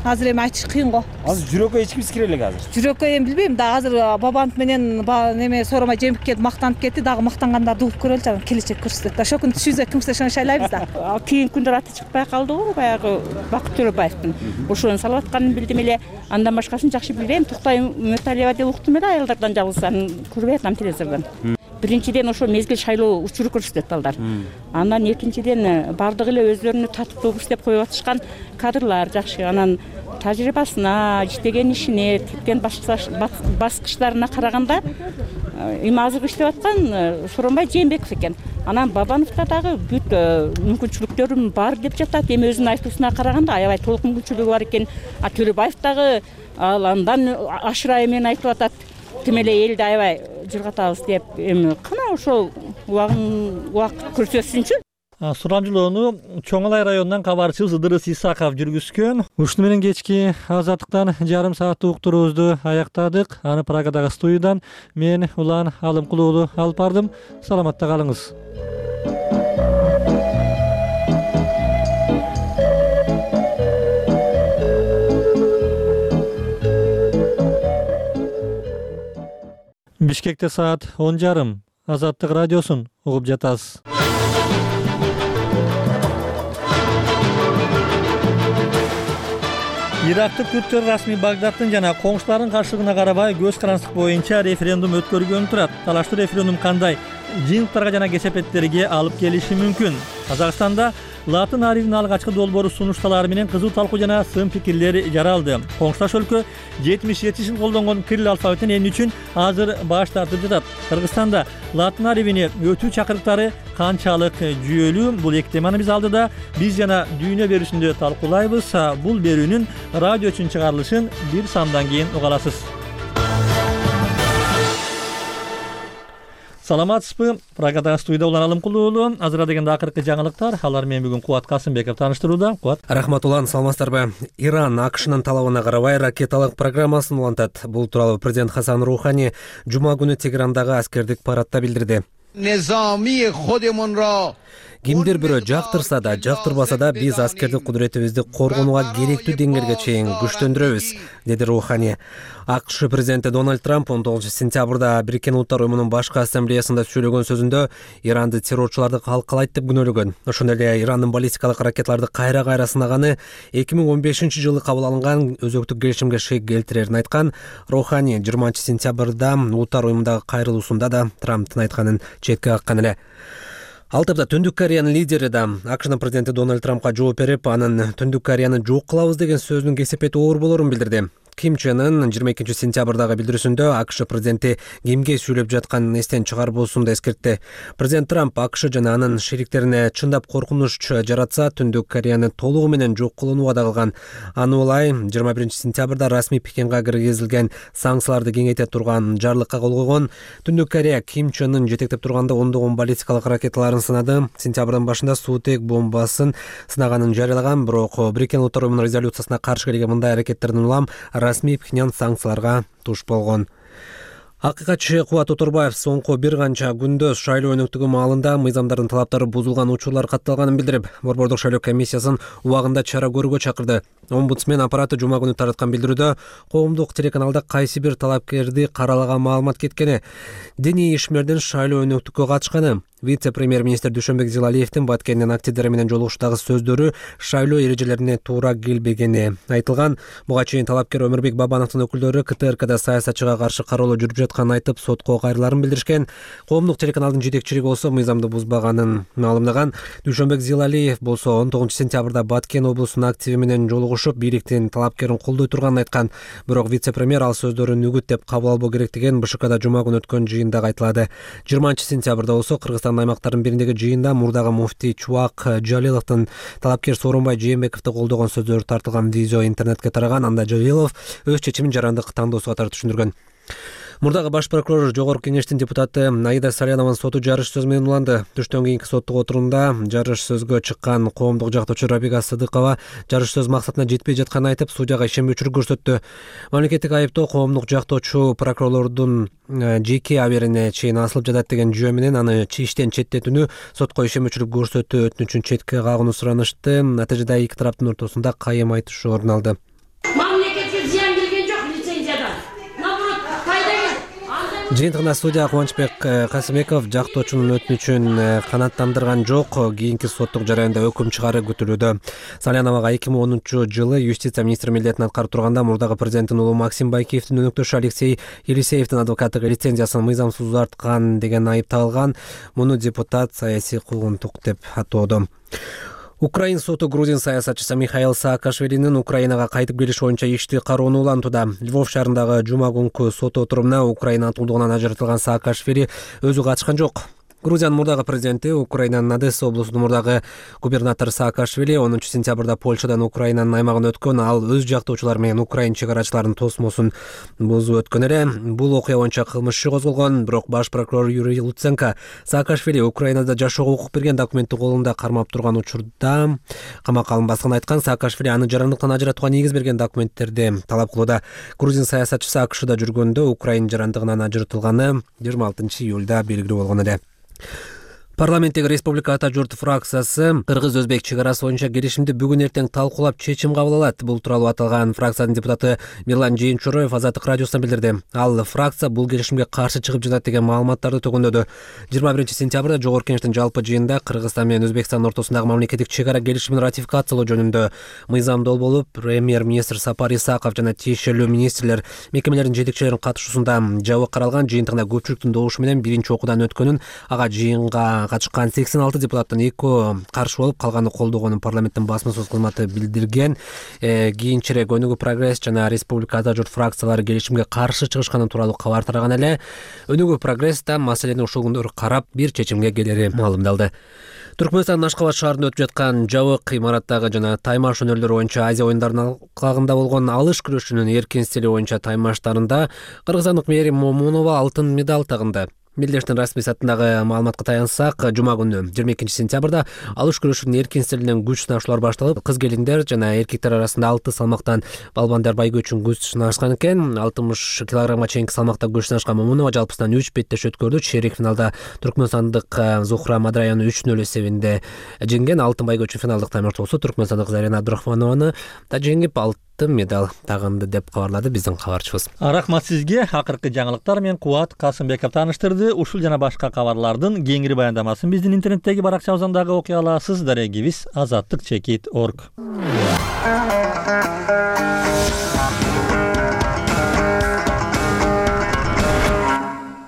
Азыр эми айтыш кыйын го. Азыр жүрөккө эч кимис кире элек азыр. Жүрөккө эми билбейм да, азыр Бабанов менен неме Сооронбай Жээнбековке мактанып кетти, дагы мактангандарды угуп көрөлү жана келечек көрсөтөт да. Шокуну түшүнсө кимсе ошону шайлайбыз да. Кийинки күндөр аты чыкпай калды го, баягы Бакыт Төрөбаевдин. Ошону салып атканын билдим эле. Андан башкасын жакшы билбейм. Туктай Үмөталиева деп уктум эле, аялдардан жалгыз, аны көрбөй атам телевизордон. биринчиден ошо мезгил шайлоо учуру көрсөтөт балдар. Андан экинчиден бардыгы эле өзлөрүнү татыктуу иштеп коюп атышкан кадрлар жакшы. Анан тажрыйбасына, иштеген ишине, теткен баскычтарына караганда эми азыр иштеп аткан Сооронбай Жээнбеков экен. Анан Бабановда дагы бүт мүмкүнчүлүктөрүм бар деп жатат. Эми өзүнүн айтуусуна караганда аябай толук мүмкүнчүлүгү бар экен. Төлөбаев дагы андан ашырайы менен айтып атат. Тим эле элди аябай жыргатабыз деп. Эми кана ошол убакыт көрсөтсүнчү. Сурамжылоону Чоң Алай районунан кабарчыбыз Ыдырыс Исаков жүргүзгөн. Ушуну менен кечки Азаттыктан жарым сааттык уктуруубузду аяктадык. Аны Прагадагы студиядан мен Улан Алымкул уулу алып бардым. Саламатта калыңыз. Бишкекте саат 10:30. Азаттык радиосун угуп жатасыз. Ирактык күрттөр расмий Багдадтын жана коңшуларынын каршылыгына карабай көз карандык боюнча референдум өткөргөнү турат. Талаштуу референдум кандай жыйынтыктарга жана кесепеттерге алып келиши мүмкүн? Казакстанда латын арифинин алгачкы долбоору сунушталары менен кызуу талкуу жана сын пикирлер жаралды. Коңшулаш өлкө 77 жыл колдонгон кирилл алфавитин эмне үчүн азыр баш тартып жатат? Кыргызстанда латын арифини өтүү чакырыктары канчалык жүйөлүү? Бул эки теманы биз алдыда биз жана дүйнө берүүсүндө талкуулайбыз. Бул берүүнүн радио үчүн чыгарылышын бир сандан кийин уга аласыз. Саламатсызбы? Прагадагы студияда Улан Алымкул уулу. Азыр дегенде акыркы жаңылыктар. Алар менен бүгүн Кубат Касымбеков тааныштырууда. Кубат. Рахмат Улан, саламатсыздарбы? Иран АКШнын талабына карабай ракеталык программасын улантат. Бул тууралуу президент Хасан Рухани жума күнү Тегерандагы аскердик парадда билдирди. Кимдир бирөө жактырса да, жактырбаса да биз аскердик кудуретибизди коргонууга керектүү деңгээлге чейин күчтөндүрөбүз, деди Рухани. АКШ президенти Дональд Трамп 19 сентябрда Бириккен Улуттар уюмунун башкы ассамблеясында сөйлөгөн сөзүндө Иранды террорчуларды калкалайт деп күнөөлөгөн. Ошондой эле Ирандын баллистикалык ракеталарды кайра сынаганы 2015 жылы кабыл алынган өзөктүк келишимге шек келтирерин айткан. Рухани 20 сентябрда Улуттар уюмундагы кайрылуусунда да Трамптын айтканын четке каккан эле. Ал тапта Түндүк Кореянын лидери да АКШнын президенти Дональд Трампка жооп берип, анын Түндүк Кореяны жок кылабыз деген сөзүнүн кесепети оор болорун билдирди. Ким Чен Ын 22 сентябрдагы билдирүүсүндө АКШ президенти кимге сүйлөп жатканын эстен чыгарбоосун да эскертти. Президент Трамп АКШ жана анын шериктерине чындап коркунуч жаратса, Түндүк Кореяны толугу менен жок кылууну вада кылган. Аны улай 21 сентябрда расмий Пекинге киргизилген санкцияларды кеңейте турган жарлыкка кол койгон. Түндүк Корея Ким Чен Ын жетектеп турганда ондогон баллистикалык ракеталарын сынады. Сентябрдын башында суутек бомбасын сынаганын жарыялаган, бирок Бириккен Улуттар уюмунун резолюциясына каршы келген мындай аракеттердин улам расмий Пхеньян санкцияларга туш болгон. Акыйкатчы Кубат Оторбаев соңку бир канча күндө шайлоо өнөктүгү маалында мыйзамдардын талаптары бузулган учурлар катталганын билдирип, Борбордук шайлоо комиссиясын убагында чара көрүүгө чакырды. Омбудсмен аппараты жума күнү тараткан билдирүүдө коомдук телеканалда кайсы бир талапкерди каралаган маалымат кеткени, диний ишмердин шайлоо өнөктүккө катышканы, вице-премьер-министр Дүйшөнбек Зилалиевдин Баткендин активдери менен жолугушуудагы сөздөрү шайлоо эрежелерине туура келбегени айтылган. Буга чейин талапкер Өмүрбек Бабановдун өкүлдөрү КТРКда саясатчыга каршы кароолоо жүрүп жатканын айтып, сотко кайрыларын билдиришкен. Коомдук телеканалдын жетекчилиги болсо мыйзамды бузбаганын маалымдаган. Дүйшөнбек Зилалиев болсо 19 сентябрда Баткен облусунун активи менен жолугушуп, бийликтин талапкерин колдой турганын айткан. Бирок вице-премьер ал сөздөрүн үгүт деп кабыл албоо керектигин БШКда жума күнү өткөн жыйында айтылады. 20 сентябрда болсо Кыргызстандын аймактарынын бириндеги жыйында мурдагы муфтий Чубак Жалиловдун талапкер Сооронбай Жээнбековду колдогон сөздөрү тартылган видео интернетке тараган. Анда Жалилов өз чечимин жарандык тандоосуга катары түшүндүргөн. Мурдагы баш прокурор Жогорку кеңештин депутаты Аида Салянованын соту жарыш сөз менен уланды. Түштөн кийинки соттук отурумда жарыш сөзгө чыккан коомдук жактоочу Рабига Сыдыкова жарыш сөз максатына жетпей жатканын айтып, судьяга ишенбөөчүлүк көрсөттү. Мамлекеттик айыптоо коомдук жактоочу прокурорлордун жеке аберине чейин асылып жатат деген жүйө менен аны иштен четтетүүнү, сотко ишенбөөчүлүк көрсөтүү өтүнүчүн четке кагууну суранышты. Натыйжада эки тараптын ортосунда кайым айтышуу орун алды. Жыйынтыгында студия Кубанычбек Касымбеков жактоочунун өтүнүчүн канааттандырган жок. Кийинки соттук жараянда өкүм чыгаары күтүлүүдө. Саляновага 2010-жылы юстиция министри милдетин аткарып турганда мурдагы президенттин уулу Максим Байкиевдин өнөктөшү Алексей Елисеевдин адвокаттык лицензиясын мыйзамсыз узарткан деген айып тагылган. Муну депутат саясий куугунтук деп атоодо. Украин соту грузин саясатчысы Михаил Саакашвилинин Украинага кайтып келиш боюнча ишти кароону улантууда. Львов шаарындагы жума күнкү сот отурумуна Украина атуулдугунан ажыратылган Саакашвили өзү катышкан жок. Грузиянын мурдагы президенти, Украинанын Одесса облусунун мурдагы губернатору Саакашвили 10-сентябрда Польшадан Украинанын аймагына өткөн. Ал өз жактоочулар менен Украин чегарачыларынын тосмосун бузуп өткөн эле. Бул окуя боюнча кылмыш иши козголгон, бирок баш прокурор Юрий Луценко Саакашвили Украинада жашоого укук берген документти колунда кармап турган учурда камакка алынбасын айткан. Саакашвили аны жарандыктан ажыратууга негиз берген документтерди талап кылууда. Грузин саясатчысы АКШда жүргөндө Украин жарандыгынан ажыратылганы 26-июлда белгилүү болгон эле. Парламенттеги Республика Ата журт фракциясы кыргыз-өзбек чегарасы боюнча келишимди бүгүн эртең талкуулап чечим кабыл алат. Бул тууралуу аталган фракциянын депутаты Мирлан Жээнчуроев Азаттык радиосуна билдирди. Ал фракция бул келишимге каршы чыгып жатат деген маалыматтарды төгүндөдү. 21-сентябрда Жогорку Кеңештин жалпы жыйынында Кыргызстан менен Өзбекстан ортосундагы мамлекеттик чегара келишимин ратификациялоо жөнүндө мыйзамдоо болуп, премьер-министр Сапар Исаков жана тиешелүү министрлер мекемелердин жетекчилеринин катышуусунда жабык каралган. Жыйынтыгында көпчүлүктүн добушу менен биринчи окуудан өткөнүн, ага жыйынга катышкан 86 депутаттын 2 каршы болуп, калганы колдогонун парламенттин басма сөз кызматы билдирген. Кийинчерээк Өнүгүү прогресс жана Республика Ата журт фракциялары келишимге каршы чыгышканы тууралуу кабар тараган эле. Өнүгүү прогресс да маселени ушул күндөрү карап бир чечимге келери маалымдалды. Түркмөнстандын Ашкабад шаарында өтүп жаткан жабык имараттагы жана таймаш өнөрлөрү боюнча Азия оюндарынын алкагында болгон алыш күрөшүнүн эркин стили боюнча таймаштарында кыргызстандык Мээрим Момунова алтын медаль тагынды. Мелдештин расмий сайтындагы маалыматка таянсак, жума күнү 22-сентябрда алыш күрөшүнүн эркин стилинен күч сынашуулар башталып, кыз-келиндер жана эркектер арасында 6 салмактан балбандар байгө үчүн күч сынашкан экен. 60 килограммга чейинки салмакта күч сынашкан Момунова жалпысынан 3 беттеш өткөрдү. Чейрек финалда түркмөнстандык Зухра Мадраяны 3-0 эсебинде жеңген. Алтын байгө үчүн финалдык таймаштоосу түркмөнстандык Зарина Абдрахманованы да жеңип алтын медаль тагынды деп кабарлады биздин кабарчыбыз. Рахмат сизге. Акыркы жаңылыктар менен Кубат Касымбеков тааныштырды. Ушул жана башка кабарлардын кеңири баяндамасын биздин интернеттеги баракчабыздан дагы окуй аласыз. Дарегибиз azattik.org.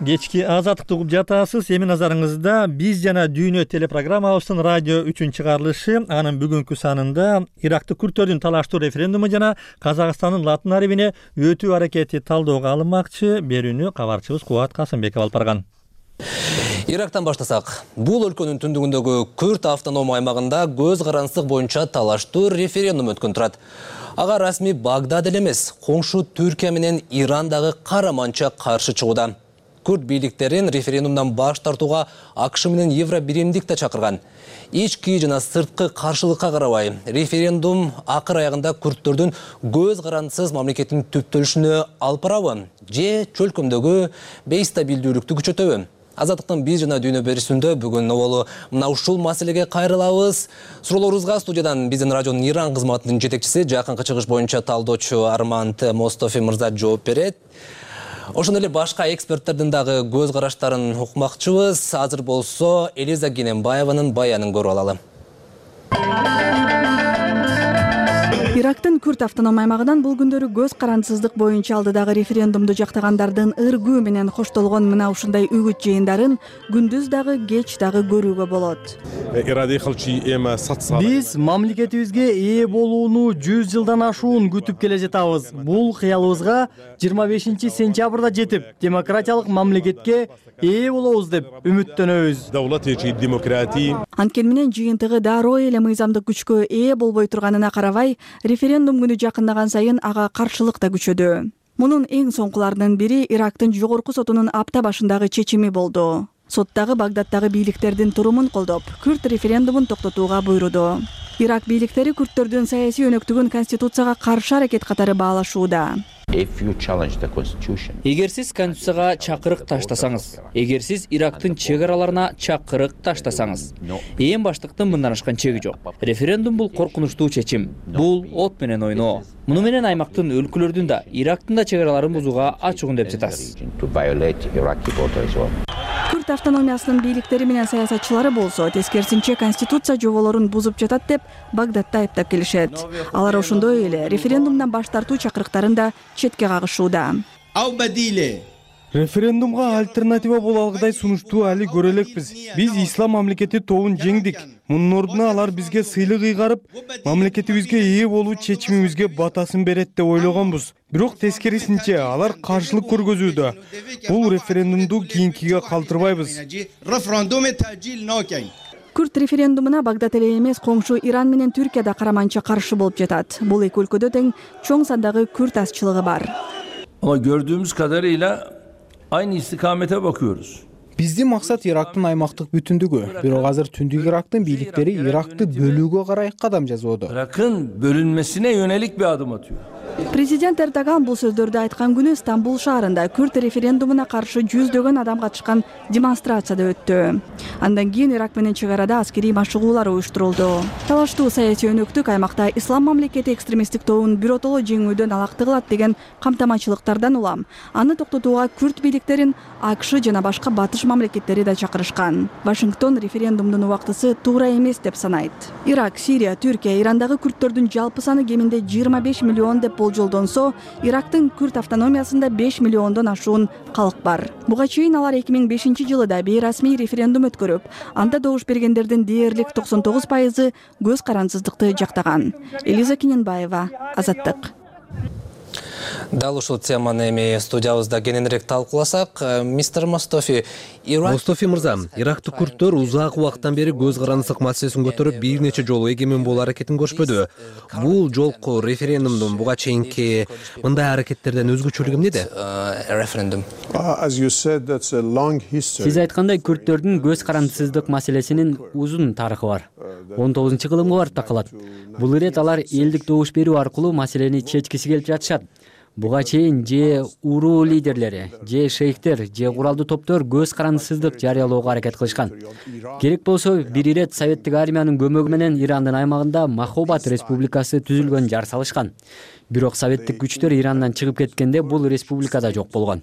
Кечки азаттыкты угуп жатасыз. Эми назарыңызда биз жана дүйнө телепрограммабыздын радио 3 чыгарылышы. Анын бүгүнкү санында Иракты күрттөрдүн талаштуу референдуму жана Казакстандын латын арабине өтүү аракети талdoogга алынмакчы. Берүүнү кабарчыбыз Кубат Касымбеков алып барган. Ирактан баштасак, бул өлкөнүн түндүгүндөгү Күрт автоном аймагында көз карансыздык боюнча талаштуу референдум өткөн турат. Ага расмий Багдад эле эмес, коңшу Түркия менен Иран дагы караманча каршы чыгууда. Күрт бийликтерин референдумдан баш тартууга АКШ менен Евробиримдик да чакырган. Ички жана сырткы каршылыкка карабай, референдум акыр аягында күрттөрдүн көз карансыз мамлекеттин түптөлүшүнө алып барабы же чөлкөмдөгү бейстабилдүүлүктү күчөтөбү? Азаттыктын биз жана дүйнө берүүсүндө бүгүн оболу мына ушул маселеге кайрылабыз. Суроолорубузга студиядан биздин радионун Иран кызматынын жетекчиси, жакынкы чыгыш боюнча талдоочу Арманд Мостофи мырза жооп берет. Ошондой эле башка эксперттердин дагы көз караштарын укмакчыбыз. Азыр болсо Элиза Кененбаеванын баянын көрүп алалы. Ирактын Күрт автоном аймагынан бул күндөрү көз карансыздык боюнча алдыдагы референдумду жактагандардын ыргуу менен коштолгон мына ушундай үгүт жыйындарын күндүз дагы кеч дагы көрүүгө болот. Биз мамлекетибизге ээ болууну 100 жылдан ашуун күтүп келе жатабыз. Бул кыялыбызга 25-сентябрда жетип, демократиялык мамлекетке ээ болобуз деп үмүттөнөбүз. Анткени менен жыйынтыгы дароо эле мыйзамдык күчкө ээ болбой турганына карабай, референдум күнү жакындаган сайын ага каршылык да күчөдү. Мунун эң соңкуларынын бири Ирактын жогорку сотунун апта башындагы чечими болду. Соттагы Багдадтагы бийликтердин турумун колдоп, күрт референдумун токтотууга буйруду. Ирак бийликтери күрттөрдүн саясий өнөктүгүн конституцияга каршы аракет катары баалашууда. Эгер сиз конституцияга чакырык таштасаңыз, эгер сиз Ирактын чек араларына чакырык таштасаңыз, эң баштыктын мындан ашкан чеги жок. Референдум бул коркунучтуу чечим. Бул от менен ойноо. Муну менен аймактын өлкөлөрдүн да, Ирактын да чек араларын бузууга ачыгын деп жатасыз. Күрд автономиясынын бийликтери менен саясатчылары болсо, тескерисинче конституция жоболорун бузуп жатат деп Багдадда айыптап келишет. Алар ошондой эле референдумдан баш тартуу чакырыктарын да четке кагышууда. Референдумга альтернатива боло алгыдай сунушту али көрө элекпиз. Биз ислам мамлекети тобун жеңдик. Мунун ордуна алар бизге сыйлык ыйгарып, мамлекетибизге ээ болуу чечимибизге батасын берет деп ойлогонбуз. Бирок тескерисинче алар каршылык көргөзүүдө. Бул референдумду кийинкиге калтырбайбыз. Күрд референдумуна Багдад эле эмес, коңшу Иран менен Түркия да караманча каршы болуп жатат. Бул эки өлкөдө тең чоң сандагы күрд азчылыгы бар. Ama gördüğümüz kadarıyla aynı istikamete bakıyoruz. Биздин максат Ирактын аймактык бүтүндүгү. Бирок азыр Түндүк Ирактын бийликтери Иракты бөлүүгө карай кадам жасоодо. Irak'ın bölünmesine yönelik bir adım atıyor. Президент Эрдоган бул сөздөрдү айткан күнү Стамбул шаарында күрд референдумуна каршы жүздөгөн адам катышкан демонстрацияда өттү. Андан кийин Ирак менен чек арада аскерий машыгуулар уюштурулду. Талаштуу саясий өнөктүк аймакта ислам мамлекети экстремисттик тобун биротоло жеңүүдөн алакты кылат деген камтамачылыктардан улам аны токтотууга күрд бийликтерин АКШ жана башка батыш мамлекеттери да чакырышкан. Вашингтон референдумдун убактысы туура эмес деп санайт. Ирак, Сирия, Түркия, Ирандагы күрдтөрдүн жалпы саны кеминде 25 миллион деп болжолдонсо, Ирактын күрд автономиясында 5 миллиондон ашуун калк бар. Буга чейин алар 2005 жылы да бейрасмий референдум өткөрүп, анда добуш бергендердин дээрлик 99% көз карансыздыкты жактаган. Элиза Кененбаева, Азаттык. Дал ушул теманы эми студиябызда кененирээк талкууласак, мистер Мостофи мырза, Ирактык күрдтөр узак убакыттан бери көз карандысык маселесин көтөрүп бир нече жолу эгемен болуу аракетин көрүшпөдү. Бул жолку референдумдун буга чейинки мындай аракеттерден өзгөчөлүгү эмнеде? Сиз айткандай, күрдтөрдүн көз карандысыздык маселесинин узун тарыхы бар. 19-кылымга барып такалат. Бул ирет алар элдик добуш берүү аркылуу маселени чечкиси келип жатышат. Буга чейин же уруу лидерлери, же шейхтер, же куралдуу топтор көз карандысыздык жарыялоого аракет кылышкан. Керек болсо бир ирет советтик армиянын көмөгү менен Ирандын аймагында Махобат республикасы түзүлгөн жар салышкан. Бирок советтик күчтөр Ирандан чыгып кеткенде бул республикада жок болгон.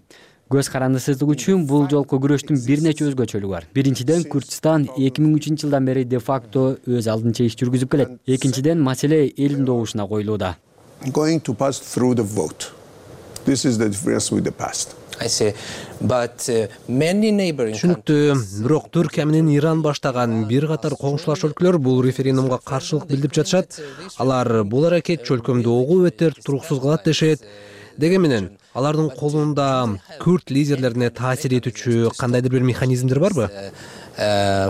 Көз карандысыздык үчүн бул жолку күрөштүн бир нече өзгөчөлүгү бар. Биринчиден, Күрдстан 2003 жылдан бери де факто өз алдынча иш жүргүзүп келет. Экинчиден, маселе элдин добушуна коюлууда. Түшүнүктүү, бирок Түркия менен Иран баштаган бир катар коңшулаш өлкөлөр бул референдумга каршылык билдирип жатышат. Алар бул аракет чөлкөмдү огуу өтөр туруксуз кылат дешет. Деге менен алардын колунда күрд лидерлерине таасир этүүчү кандайдыр бир механизмдер барбы?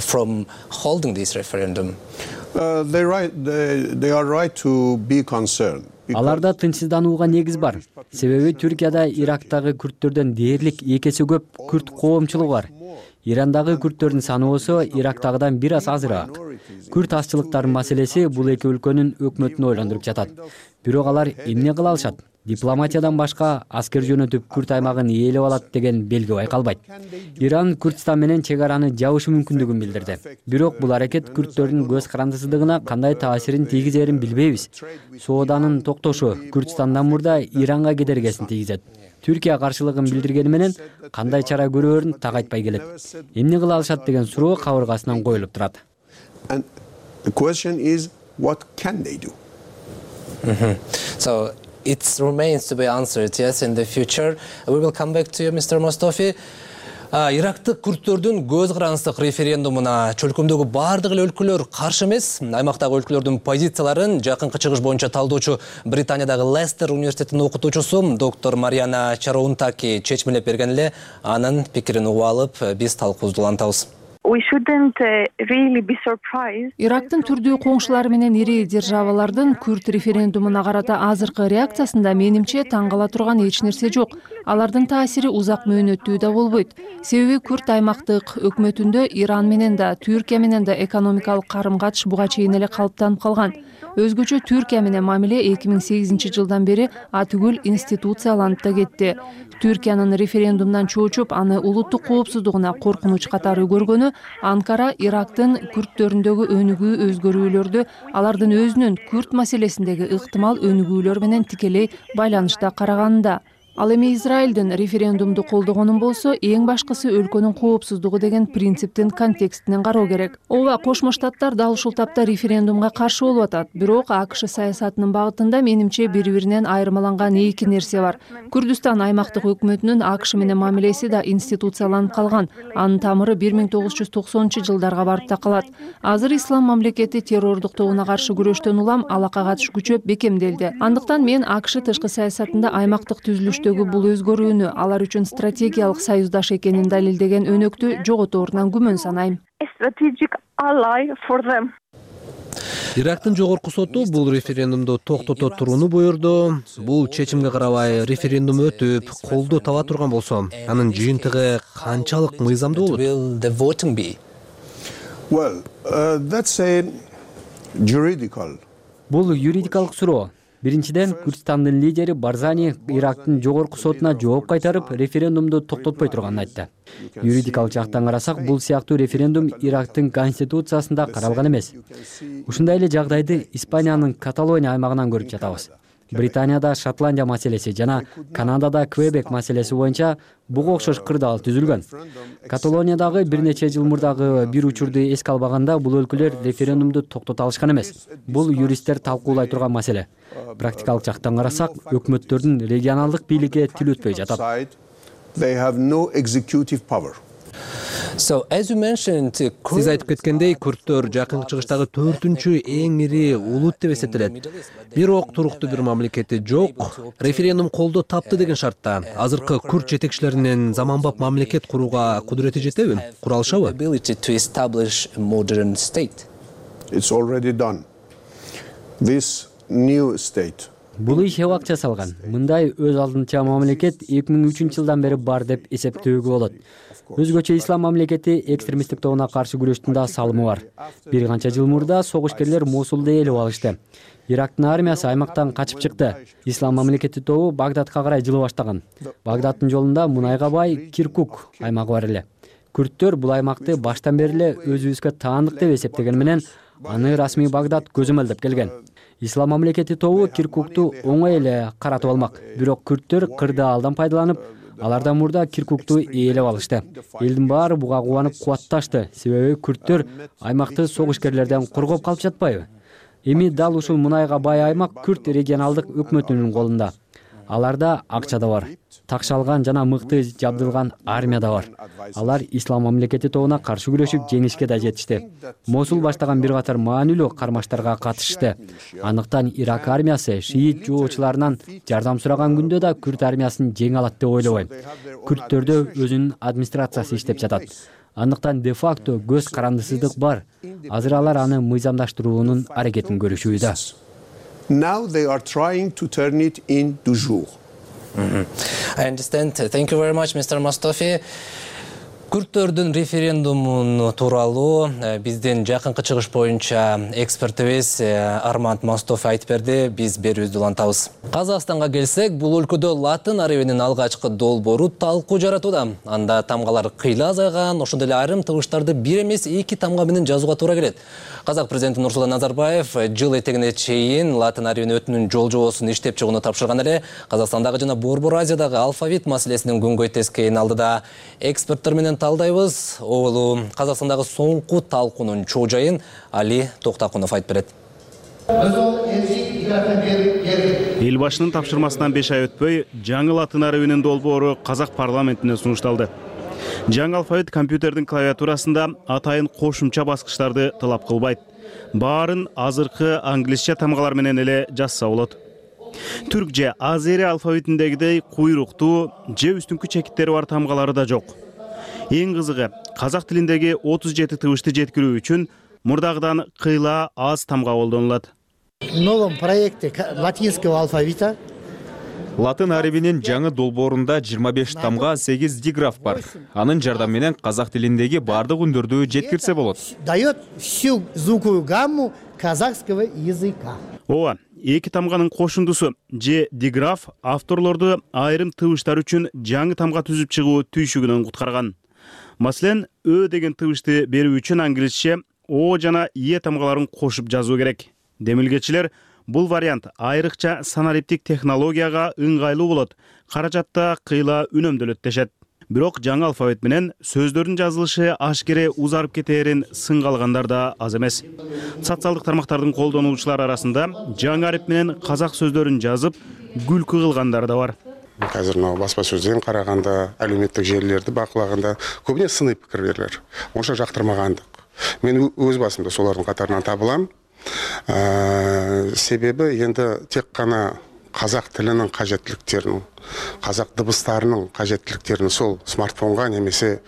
From holding this referendum. They are right to be concerned. Аларда тынчсызданууга негиз бар. Себеби Түркияда Ирактагы күрдтөрдөн дээрлик 2 эсе көп күрд коомчулугу бар. Ирандагы күрдтөрдүн саны болсо Ирактагыдан бир аз азыраак. Күрд азчылыктарынын маселеси бул эки өлкөнүн өкмөтүн ойлондуруп жатат. Бирок алар эмне кыла алышат? Дипломатиядан башка аскер жөнөтүп күрд аймагын ээлеп алат деген белги байкалбайт. Иран Күрдстан менен чек араны жабышы мүмкүндүгүн билдирди. Бирок бул аракет күрдтөрдүн көз карандысыздыгына кандай таасирин тийгизерин билбейбиз. Сооданын токтошу Күрдстандан мурда Иранга кедергесин тийгизет. Түркия каршылыгын билдиргени менен кандай чара көрөөрүн так айтпай келет. Эмне кыла алышат деген суроо кабыргасынан коюлуп турат. So it remains to be answered, yes, in the future. We will come back to you, Mr. Mostofi. Ирактык күрдтөрдүн көз карандысыздык референдумуна чөлкөмдөгү бардык эле өлкөлөр каршы эмес. Аймактагы өлкөлөрдүн позицияларын жакынкы чыгыш боюнча талдоочу Британиядагы Лестер университетинин окутуучусу доктор Мариана Чароунтаки чечмелеп берген эле анын пикирин угуп алып, биз талкуубузду улантабыз. Ирактын түрдүү коңшулары менен ири державалардын күрд референдумуна карата азыркы реакциясында менимче таң кала турган эч нерсе жок. Алардын таасири узак мөөнөттүү да болбойт. Себеби күрд аймактык өкмөтүндө Иран менен да, Түркия менен да экономикалык карым-катыш буга чейин эле калыптанып калган. Өзгөчө Түркия менен мамиле 2008 жылдан бери атүгүл институцияланып да кетти. Түркиянын референдумдан чоочуп, аны улуттук коопсуздугуна коркунуч катары көргөнү Анкара Ирактын күрдтөрүндөгү өнүгүү өзгөрүүлөрдү алардын өзүнүн күрд маселесиндеги ыктымал өнүгүүлөр менен тикелей байланышта караганында. Ал эми Израилдин референдумду колдогонун болсо, эң башкысы өлкөнүн коопсуздугу деген принциптин контекстинен кароо керек. Ооба, Кошмо Штаттар дал ушул тапта референдумга каршы болуп атат. Бирок АКШ саясатынын багытында менимче бири-биринен айырмаланган эки нерсе бар. Күрдүстан аймактык өкмөтүнүн АКШ менен мамилеси да институцияланып калган. Анын тамыры 1990-жылдарга барып такалат. Азыр ислам мамлекети террордук тобуна каршы күрөштөн улам алака катыш күчөп бекемделди. Андыктан мен АКШ тышкы саясатында аймактык түзүлүш бул өзгөрүүнү алар үчүн стратегиялык союздаш экенин далилдеген өнөктү жоготорунан күмөн санайм. Ирактын жогорку соту бул референдумду токтото турууну буйрду. Бул чечимге карабай референдум өтүп, колдоо таба турган болсо, анын жыйынтыгы канчалык мыйзамдуу болот? Бул юридикалык суроо. Биринчиден, Күрдстандын лидери Барзани Ирактын жогорку сотуна жооп кайтарып, референдумду токтотпой турганын айтты. Юридикалык жактан карасак, бул сыяктуу референдум Ирактын конституциясында каралган эмес. Ушундай эле жагдайды Испаниянын Каталония аймагынан көрүп жатабыз. Британияда Шотландия маселеси жана Канадада Квебек маселеси боюнча буга окшош кырдаал түзүлгөн. Каталониядагы бир нече жыл мурдагы бир учурду эске албаганда бул өлкөлөр референдумду токтото алышкан эмес. Бул юристтер талкуулай турган маселе. Практикалык жактан карасак, өкмөттөрдүн регионалдык бийликке тил өтпөй жатат. Сиз айтып кеткендей, күрдтөр жакынкы чыгыштагы 4-үнчү эң ири улут деп эсептелет. Бирок туруктуу бир мамлекети жок. Референдум колдоо тапты деген шартта азыркы күрд жетекчилеринин заманбап мамлекет курууга кудурети жетеби? Кура алышабы? Бул иш убакча жасалган. Мындай өз алдынча мамлекет 2003-жылдан бери бар деп эсептөөгө болот. Өзгөчө ислам мамлекети экстремисттик тобуна каршы күрөштүн да салымы бар. Бир канча жыл мурда согушкерлер Мосулду ээлеп алышты. Ирактын армиясы аймактан качып чыкты. Ислам мамлекети тобу Багдадка карай жылы баштаган. Багдадтын жолунда мунайга бай Киркук аймагы бар эле. Күрдтөр бул аймакты баштан бери эле өзүбүзгө таандык деп эсептеген менен аны расмий Багдад көзөмөлдөп келген. Ислам мамлекети тобу Киркукту оңой эле каратып алмак. Бирок күрдтөр кырдаалдан пайдаланып, алардан мурда Киркукту ээлеп алышты. Элдин баары буга кубанып кубатташты. Себеби күрдтөр аймакты согушкерлерден коргоп калып жатпайбы? Эми дал ушул мунайга бай аймак күрд регионалдык өкмөтүнүн колунда. Аларда акча да бар. Такшалган жана мыкты жабдылган армия да бар. Алар ислам мамлекети тобуна каршы күрөшүп жеңишке да жетишти. Мосул баштаган бир катар маанилүү кармаштарга катышты. Андыктан Ирак армиясы шиит жоочуларынан жардам сураган күндө да күрд армиясын жеңе алат деп ойлобойм. Күрдтөрдө өзүнүн администрациясы иштеп жатат. Андыктан де-факто көз карандысыздык бар. Азыр алар аны мыйзамдаштыруунун аракетин көрүшүүдө. Now they are trying to turn it into jour. I understand. Thank you very much, Mr. Mustafi. Күрдтөрдүн референдуму тууралуу биздин жакынкы чыгыш боюнча экспертибиз Арманд Мустофи айтып берди. Биз берүүбүздү улантабыз. Казакстанга келсек, бул өлкөдө латын арабинин алгачкы долбоору талкуу жаратууда. Анда тамгалар кыйла азайган, ошондой эле айрым тыгыштарды бир эмес 2 тамга менен жазууга туура келет. Казак президенти Нурсултан Назарбаев жыл этегине чейин латын арабин өтүнүн жол жобосун иштеп чыгууну тапшырган эле. Казакстандагы жана Борбор Азиядагы алфавит маселесинин күнгөй тескейин алдыда эксперттер менен талдайбыз. Ол Казакстандагы соңку талкуунун чоо жайын Али Токтакунов айтып берет. Эл башынын тапшырмасынан 5 ай өтпөй, жаңы латын арабинин долбоору Казак парламентине сунушталды. Жаңы алфавит компьютердин клавиатурасында атайын кошумча баскычтарды талап кылбайт. Баарын азыркы англисче тамгалар менен эле жазса болот. Түрк же азери алфавитиндегидей куйруктуу же үстүңкү чекиттери бар тамгалары да жок. Эң кызыгы, казак тилиндеги 37 тыбышты жеткирүү үчүн мурдагыдан кыйла аз тамга колдонулат. В новом проекте латинского алфавита латын арабинин жаңы долбоорунда 25 тамга 8 диграф бар. Анын жардамы менен казак тилиндеги бардык үндөрдү жеткирсе болот. Дает всю звуковую гамму казахского языка. Ооба, эки тамганын кошундусу же диграф авторлорду айрым тыбыштар үчүн жаңы тамга түзүп чыгуу түйшүгүнөн куткарган. Маселен, ö деген тыбышты берүү үчүн англисче о жана е тамгаларын кошуп жазуу керек. Демилгечилер бул вариант айрыкча санариптик технологияга ыңгайлуу болот, каражатта кыйла үнөмдөлөт дешет. Бирок жаңы алфавит менен сөздөрдүн жазылышы ашкере узарып кетээрин сынга алгандар да аз эмес. Социалдык тармактардын колдонуучулары арасында жаңы арип менен казак сөздөрүн жазып, күлкү кылгандар да бар. Қазір баспа сөзден қарағанда, әлеуметтік желілерді бақылаганда көбіне сыни пікірлер, онша жақтырмағандық. Мен өз басымда солардың қатарынан табылам. Себебі енді тек қана қазақ тілінің қажеттіліктерін, қазақ дыбыстарының қажеттіліктерін сол смартфонға немесе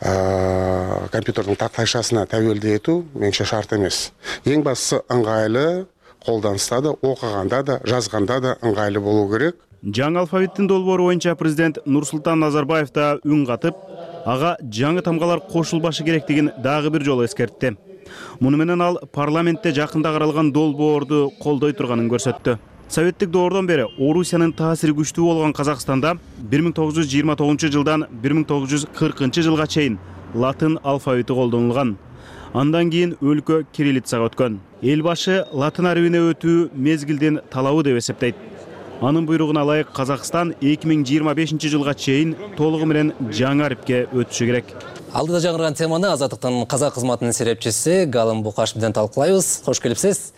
компьютердің тақтайшасына тәуелді ету меніңше шарт емес. Ең бастысы ыңғайлы, қолданыста да, оқығанда да, жазғанда да ыңғайлы болу керек. Жаңы алфавиттин долбоору боюнча президент Нурсултан Назарбаев да үн катып, ага жаңы тамгалар кошулбашы керектигин дагы бир жолу эскертти. Муну менен ал парламентте жакында каралган долбоорду колдой турганын көрсөттү. Советтик доордон бери Орусиянын таасири күчтүү болгон Казакстанда 1929 жылдан 1940 жылга чейин латын алфавити колдонулган. Андан кийин өлкө кириллицага өткөн. Эл башы латын арабине өтүү мезгилдин талабы деп эсептейт. Анын буйругуна ылайык Казакстан 2025 жылга чейин толугу менен жаңы арипке өтүшү керек. Алдыда жаңырган теманы Азаттыктын казак кызматынын серепчиси Галым Букаш менен талкуулайбыз. Кош келипсиз.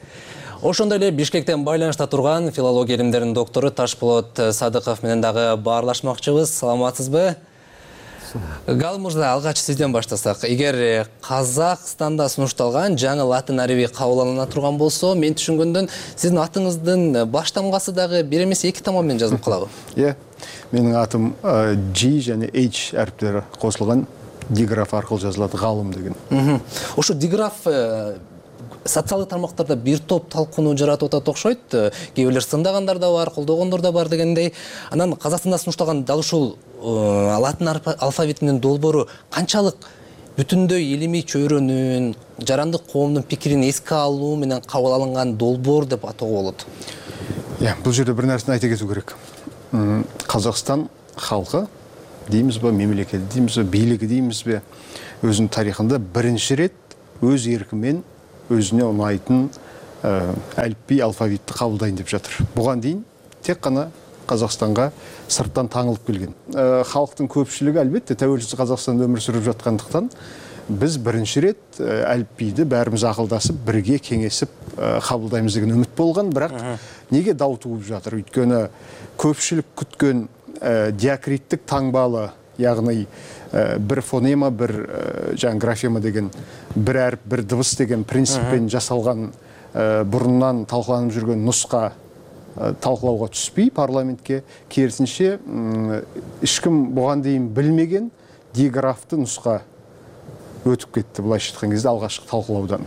Ошондой эле Бишкектен байланышта турган филология илимдеринин доктору Ташполот Садыков менен дагы баарлашмакчыбыз. Саламатсызбы? Галым мырза, алгач сизден баштасак. Эгер Казакстанда сунушталган жаңы латын ариби кабыл алына турган болсо, мен түшүнгөндөн сиздин атыңыздын баш тамгасы дагы бир эмес эки тамга менен жазылып калабы? Менин атым G жана H аріптері косулган диграф аркылуу жазылат, Галым деген. Ошо диграф социалдык тармактарда бир топ талкууну жаратып атат окшойт. Кээ бирлер сындагандар да бар, колдогондор да бар дегендей. Анан Казакстанда сунушталган дал ушул латын алфавитинин долбоору канчалык бүтүндөй илимий чөйрөнүн, жарандык коомдун пикирин эске алуу менен кабыл алынган долбоор деп атоого болот? Бул жерде бир нерсени айта кетүү керек. Казакстан халкы деймизби, мемлекети деймизби, бийлиги деймизби, өзүнүн тарыхында биринчи рет өз эркимен өзүнө унайтын әліпби алфавитти кабылдайын деп жатыр. Буган дейин тек кана Казакстанга сырттан таңылып келген. Халктын көпчүлүгү албетте тәуелсиз Казакстанда өмүр сүрүп жаткандыктан биз биринчи рет әліпбиди баарыбыз акылдашып, бирге кеңесип кабылдайбыз деген үмүт болгон, бирок неге дау тууп жатыр? Өйткөнү көпчүлүк күткөн диакриттик таңбалы, ягны бир фонема, бир графема деген, бир әріп, бир дыбыс деген принциппен жасалган бурундан талкууланып жүргөн нуска талкуулауга түспөй парламентке, керисинче эч ким буган дейин билмеген диграфты нуска өтүп кетти, булайча айткан кезде алгачкы талкуулаудан.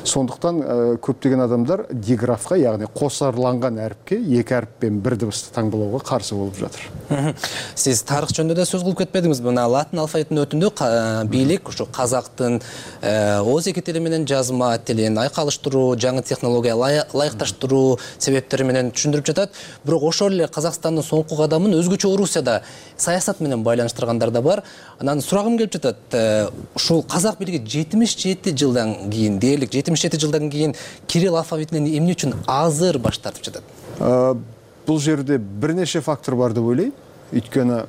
Сондуктан көптөгөн адамдар диграфка, ягни косарланган әріпке эки әріппен бир дыбысты таңбалауга каршы болуп жатыр. Сиз тарых жөнүндө да сөз кылып кетпедиңизби? Мына латын алфавитинин өтүндө бийлик ушу казактын ооз эки тили менен жазма тилин айкалыштыруу, жаңы технология ылайыкташтыруу себептери менен түшүндүрүп жатат. Бирок ошол эле Казакстандын соңку кадамын өзгөчө Орусияда саясат менен байланыштыргандар да бар. Анан сурагым келип жатат. Ушул казак бийлиги 77 жылдан кийин, дээрлик 77 жылдан кийин кирилл алфавитинен эмне үчүн азыр баш тартып жатат? Бул жерде бир нече фактор бар деп ойлойм. Өйткөнү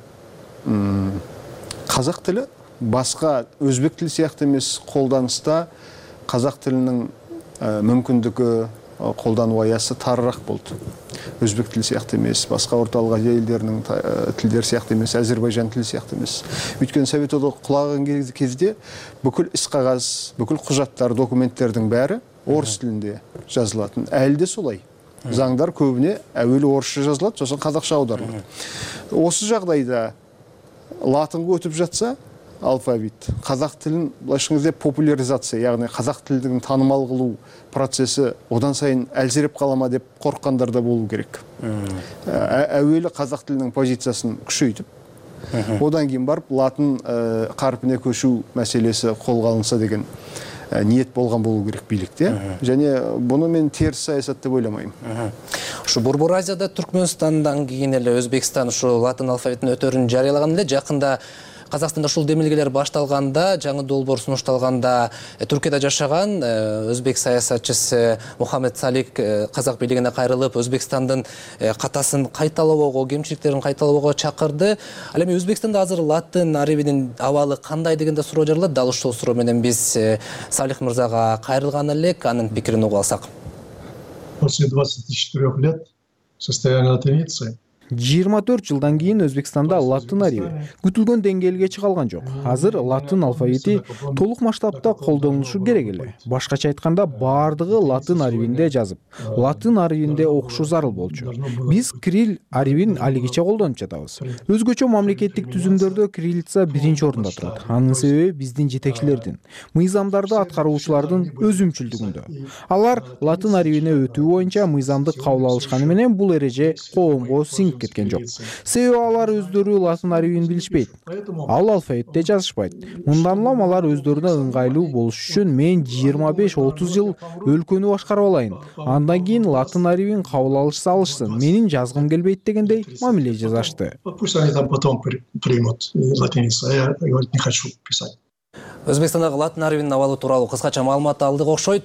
казак тили башка өзбек тили сыяктуу эмес колданыста, казак тилинин мүмкүндүгү, колдануу аясы тарыраак болду. Өзбек тили сыяктуу эмес, башка орталык Азия элдеринин тилдери сыяктуу эмес, Азербайжан тили сыяктуу эмес. Өйткөнү Совет Одог кулаган кезде бүкүл ис кагаз, бүкүл кужаттар, документтердин баары орус тилинде жазылатын. Әлі де солай. Заңдар көбіне әуелі орысша жазылады, сосын қазақша аударылады. Осы жағдайда латынға өтіп жатса, алфавит. Қазақ тілін былайша айтқанда популяризация, яғни қазақ тілін танымал қылу процесі одан сайын әлсіреп қалама деп қорыққандар да болу керек. Әуелі қазақ тілінің позициясын күшейтіп, одан кейін барып латын қарпіне көшу мәселесі қолға алынса деген ниет болған болу керек билікте. Және бұны мен теріс саясат деп ойламаймын. Ушу Борбор Азияда Түркмөнстандан кийин эле Өзбекстан ушу латын алфавитин өтөрүн жарыялаган эле. Жакында Казакстанда ушул демилгелер башталганда, жаңы долбоор сунушталганда, Түркияда жашаган өзбек саясатчысы Мухаммед Салик казак бийлигине кайрылып, Өзбекстандын катасын кайталоого, кемчиликтерин кайталоого чакырды. Ал эми Өзбекстанда азыр латын арабинин абалы кандай дегенде суроо жаралат. Дал ушул суроо менен биз Салих мырзага кайрылган элек, анын пикирин угуп алсак. После 24 лет состояния латиницы 24 жылдан кийин Өзбекстанда латын ариби күтүлгөн деңгээлге чыга алган жок. Азыр латын алфавити толук масштабта колдонулушу керек эле. Башкача айтканда, бардыгы латын арибинде жазып, латын арибинде окушу зарыл болчу. Биз кирилл арибин алигиче колдонуп жатабыз. Өзгөчө мамлекеттик түзүмдөрдө кириллица биринчи орунда турат. Анын себеби биздин жетекчилердин, мыйзамдарды аткаруучулардын өзүмчүлдүгүндө. Алар латын арибине өтүү боюнча мыйзамды кабыл алышканы менен бул эреже коомго сиңип кеткен жок. Себеби алар өздөрү латын арибин билишпейт. Ал алфавитте жазышпайт. Мындан улам алар өздөрүнө ыңгайлуу болуш үчүн мен 25-30 жыл өлкөнү башкарып алайын. Андан кийин латын арибин кабыл алышса алышсын. Менин жазгым келбейт дегендей мамиле жасашты. Пусть они там потом примут латиницу, а я не хочу писать. Өзбекстандагы латын арибинин абалы тууралуу кыскача маалымат алдык окшойт.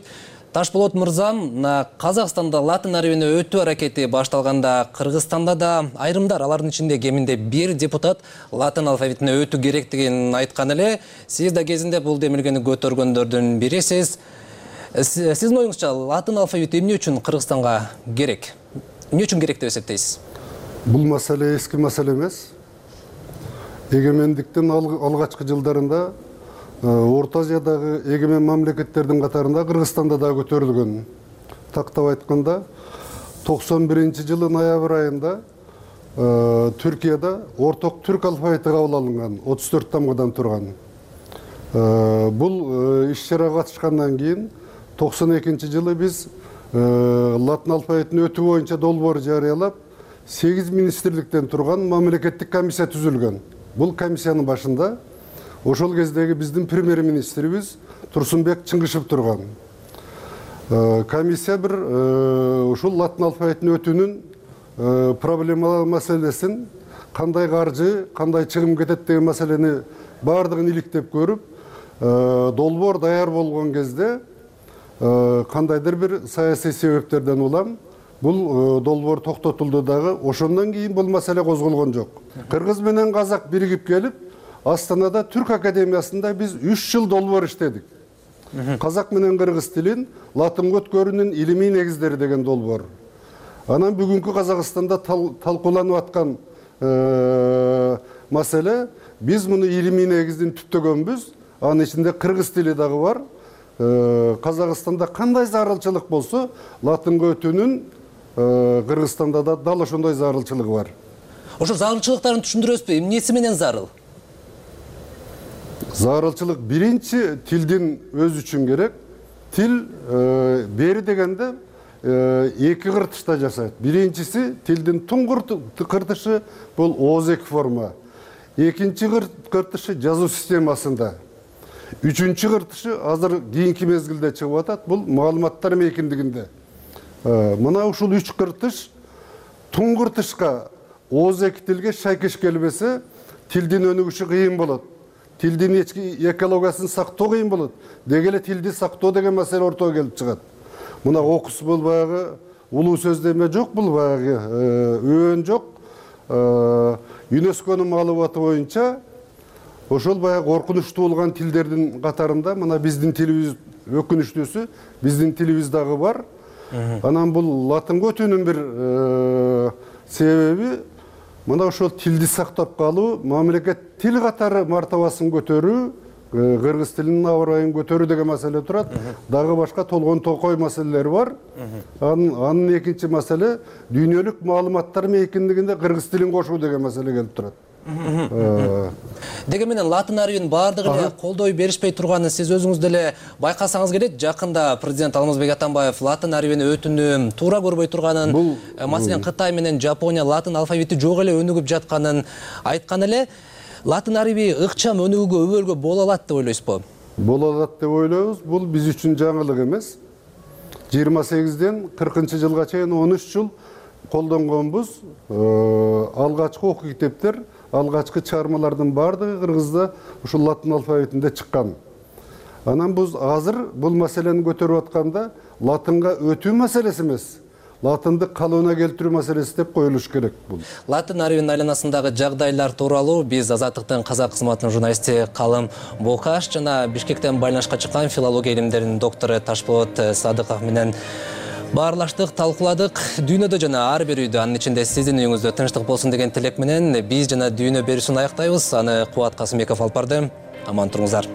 Ташболот мырзам, Казакстанда латын арабине өтүү аракети башталганда, Кыргызстанда да айрымдар, алардын ичинде кеминде бир депутат латын алфавитине өтүү керектигин айткан эле. Сиз да кезинде бул демилгени көтөргөндөрдүн бирисиз. Сиздин оюңузча, латын алфавити эмне үчүн Кыргызстанга керек? Эмне үчүн керек деп эсептейсиз? Бул маселе эски маселе эмес. Эгемендиктин алгачкы жылдарында Орта Азиядагы эгемен мамлекеттердин катарында Кыргызстанда да көтөрүлгөн. Тактап айтканда, 91-жылы ноябрь айында Түркияда орток түрк алфавити кабыл алынган, 34 тамгадан турган. Бул иш-чарага катышкандан кийин 92-жылы биз латын алфавитин өтүү боюнча долбоор жарыялап, 8 министрликтен турган мамлекеттик комиссия түзүлгөн. Бул комиссиянын башында ошол кездеги биздин премьер-министрибиз Турсунбек Чыңгышев турган. Комиссия бир ушул латын алфавитин өтүүнүн проблемалар маселесин, кандай каржы, кандай чыгым кетет деген маселени бардыгын иликтеп көрүп, долбоор даяр болгон кезде кандайдыр бир саясий себептерден улам бул долбоор токтотулду дагы, ошондон кийин бул маселе козголгон жок. Кыргыз менен казак биригип келип, Астанада Түрк академиясында биз 3 жыл долбоор иштедик. Казак менен кыргыз тилин латынга өткөрүүнүн илимий негиздери деген долбоор. Анан бүгүнкү Казакстанда талкууланып аткан маселе, биз муну илимий негиздин түптөгөнбүз. Анын ичинде кыргыз тили дагы бар. Казакстанда кандай зарылчылык болсо, латынга өтүүнүн Кыргызстанда да дал ошондой зарылчылыгы бар. Ошо зарылчылыктарын түшүндүрөсүзбү? Эмнеси менен зарыл? Зарылчылык биринчи тилдин өз үчүн керек. Тил бери дегенде эки кыртышта жашайт. Биринчиси тилдин туңгур кыртышы бул ооз-эки форма. Экинчи кыртышы жазуу системасында. Үчүнчү кыртышы азыр кийинки мезгилде чыгып атат, бул маалыматтар мейкиндигинде. Мына ушул 3 кыртыш туңгуртышка ооз-эки тилге шайкеш келбесе, тилдин өнүгүшү кыйын болот. Тилдин экологиясын сактоо кыйын болот. Деги эле тилди сактоо деген маселе ортого келип чыгат. Мына окус бул баягы улуу сөздөмө жок, бул баягы өөн жок. ЮНЕСКОнун маалыматы боюнча ошол баягы коркунучтуу болгон тилдердин катарында мына биздин тилибиз өкүнүчтүүсү, биздин тилибиз дагы бар. Анан бул латынга өтүүнүн бир себеби мына ошол тилди сактап калуу, мамлекет тил катары мартабасын көтөрүү, кыргыз тилинин абырайын көтөрүү деген маселе турат. Дагы башка толгон токой маселелери бар. Анын экинчи маселе дүйнөлүк маалыматтар мейкиндигинде кыргыз тилин кошуу деген маселе келип турат. Деге менен латын арабинин баардыгы эле колдой беришпей турганын сиз өзүңүз деле байкасаңыз келет. Жакында президент Алмазбек Атамбаев латын арабини өтүүнү туура көрбөй турганын, маселен Кытай менен Жапония латын алфавити жок эле өнүгүп жатканын айткан эле. Латын араби ыкчам өнүгүүгө өбөлгө боло алат деп ойлойсузбу? Боло алат деп ойлойбуз. Бул биз үчүн жаңылык эмес. 28ден 40-жылга чейин 13 жыл колдонгонбуз. Алгачкы окуу китептер, алгачкы чыгармалардын баардыгы кыргызда ушул латын алфавитинде чыккан. Анан биз азыр бул маселени көтөрүп атканда латынга өтүү маселеси эмес, латынды калыбына келтирүү маселеси деп коюлуш керек бул. Латын арабинин айланасындагы жагдайлар тууралуу биз Азаттыктын казак кызматынын журналисти Калым Бокаш жана Бишкектен байланышка чыккан филология илимдеринин доктору Ташболот Садыков менен баарлаштык, талкууладык. Дүйнөдө жана ар бир үйдө, анын ичинде сиздин үйүңүздө тынчтык болсун деген тилек менен биз жана дүйнө берүүсүн аяктайбыз. Аны Кубат Касымбеков алып барды. Аман туруңуздар.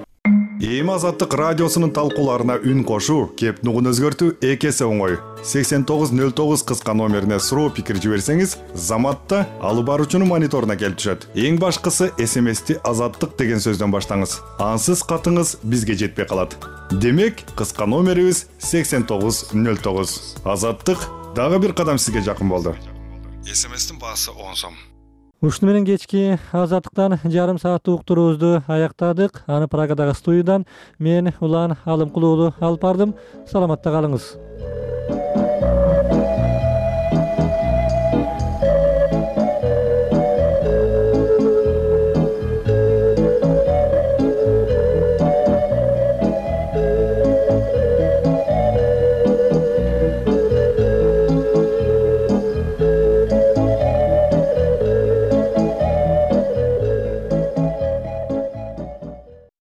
Эми Азаттык радиосунун талкууларына үн кошуу, кеп нугун өзгөртүү экесе оңой. 8909 кыска номерине суроо пикир жиберсеңиз, заматта алып баруучунун мониторуна келип түшөт. Эң башкысы СМСти Азаттык деген сөздөн баштаңыз. Ансыз катыңыз бизге жетпей калат. Демек, кыска номерибиз 8909. Азаттык дагы бир кадам сизге жакын болду. СМСтин баасы 10 сом. Ушуну менен кечки Азаттыктан жарым сааттык уктуруубузду аяктадык. Аны Прагадагы студиядан мен Улан Алымкулуулу алып бардым. Саламатта калыңыз.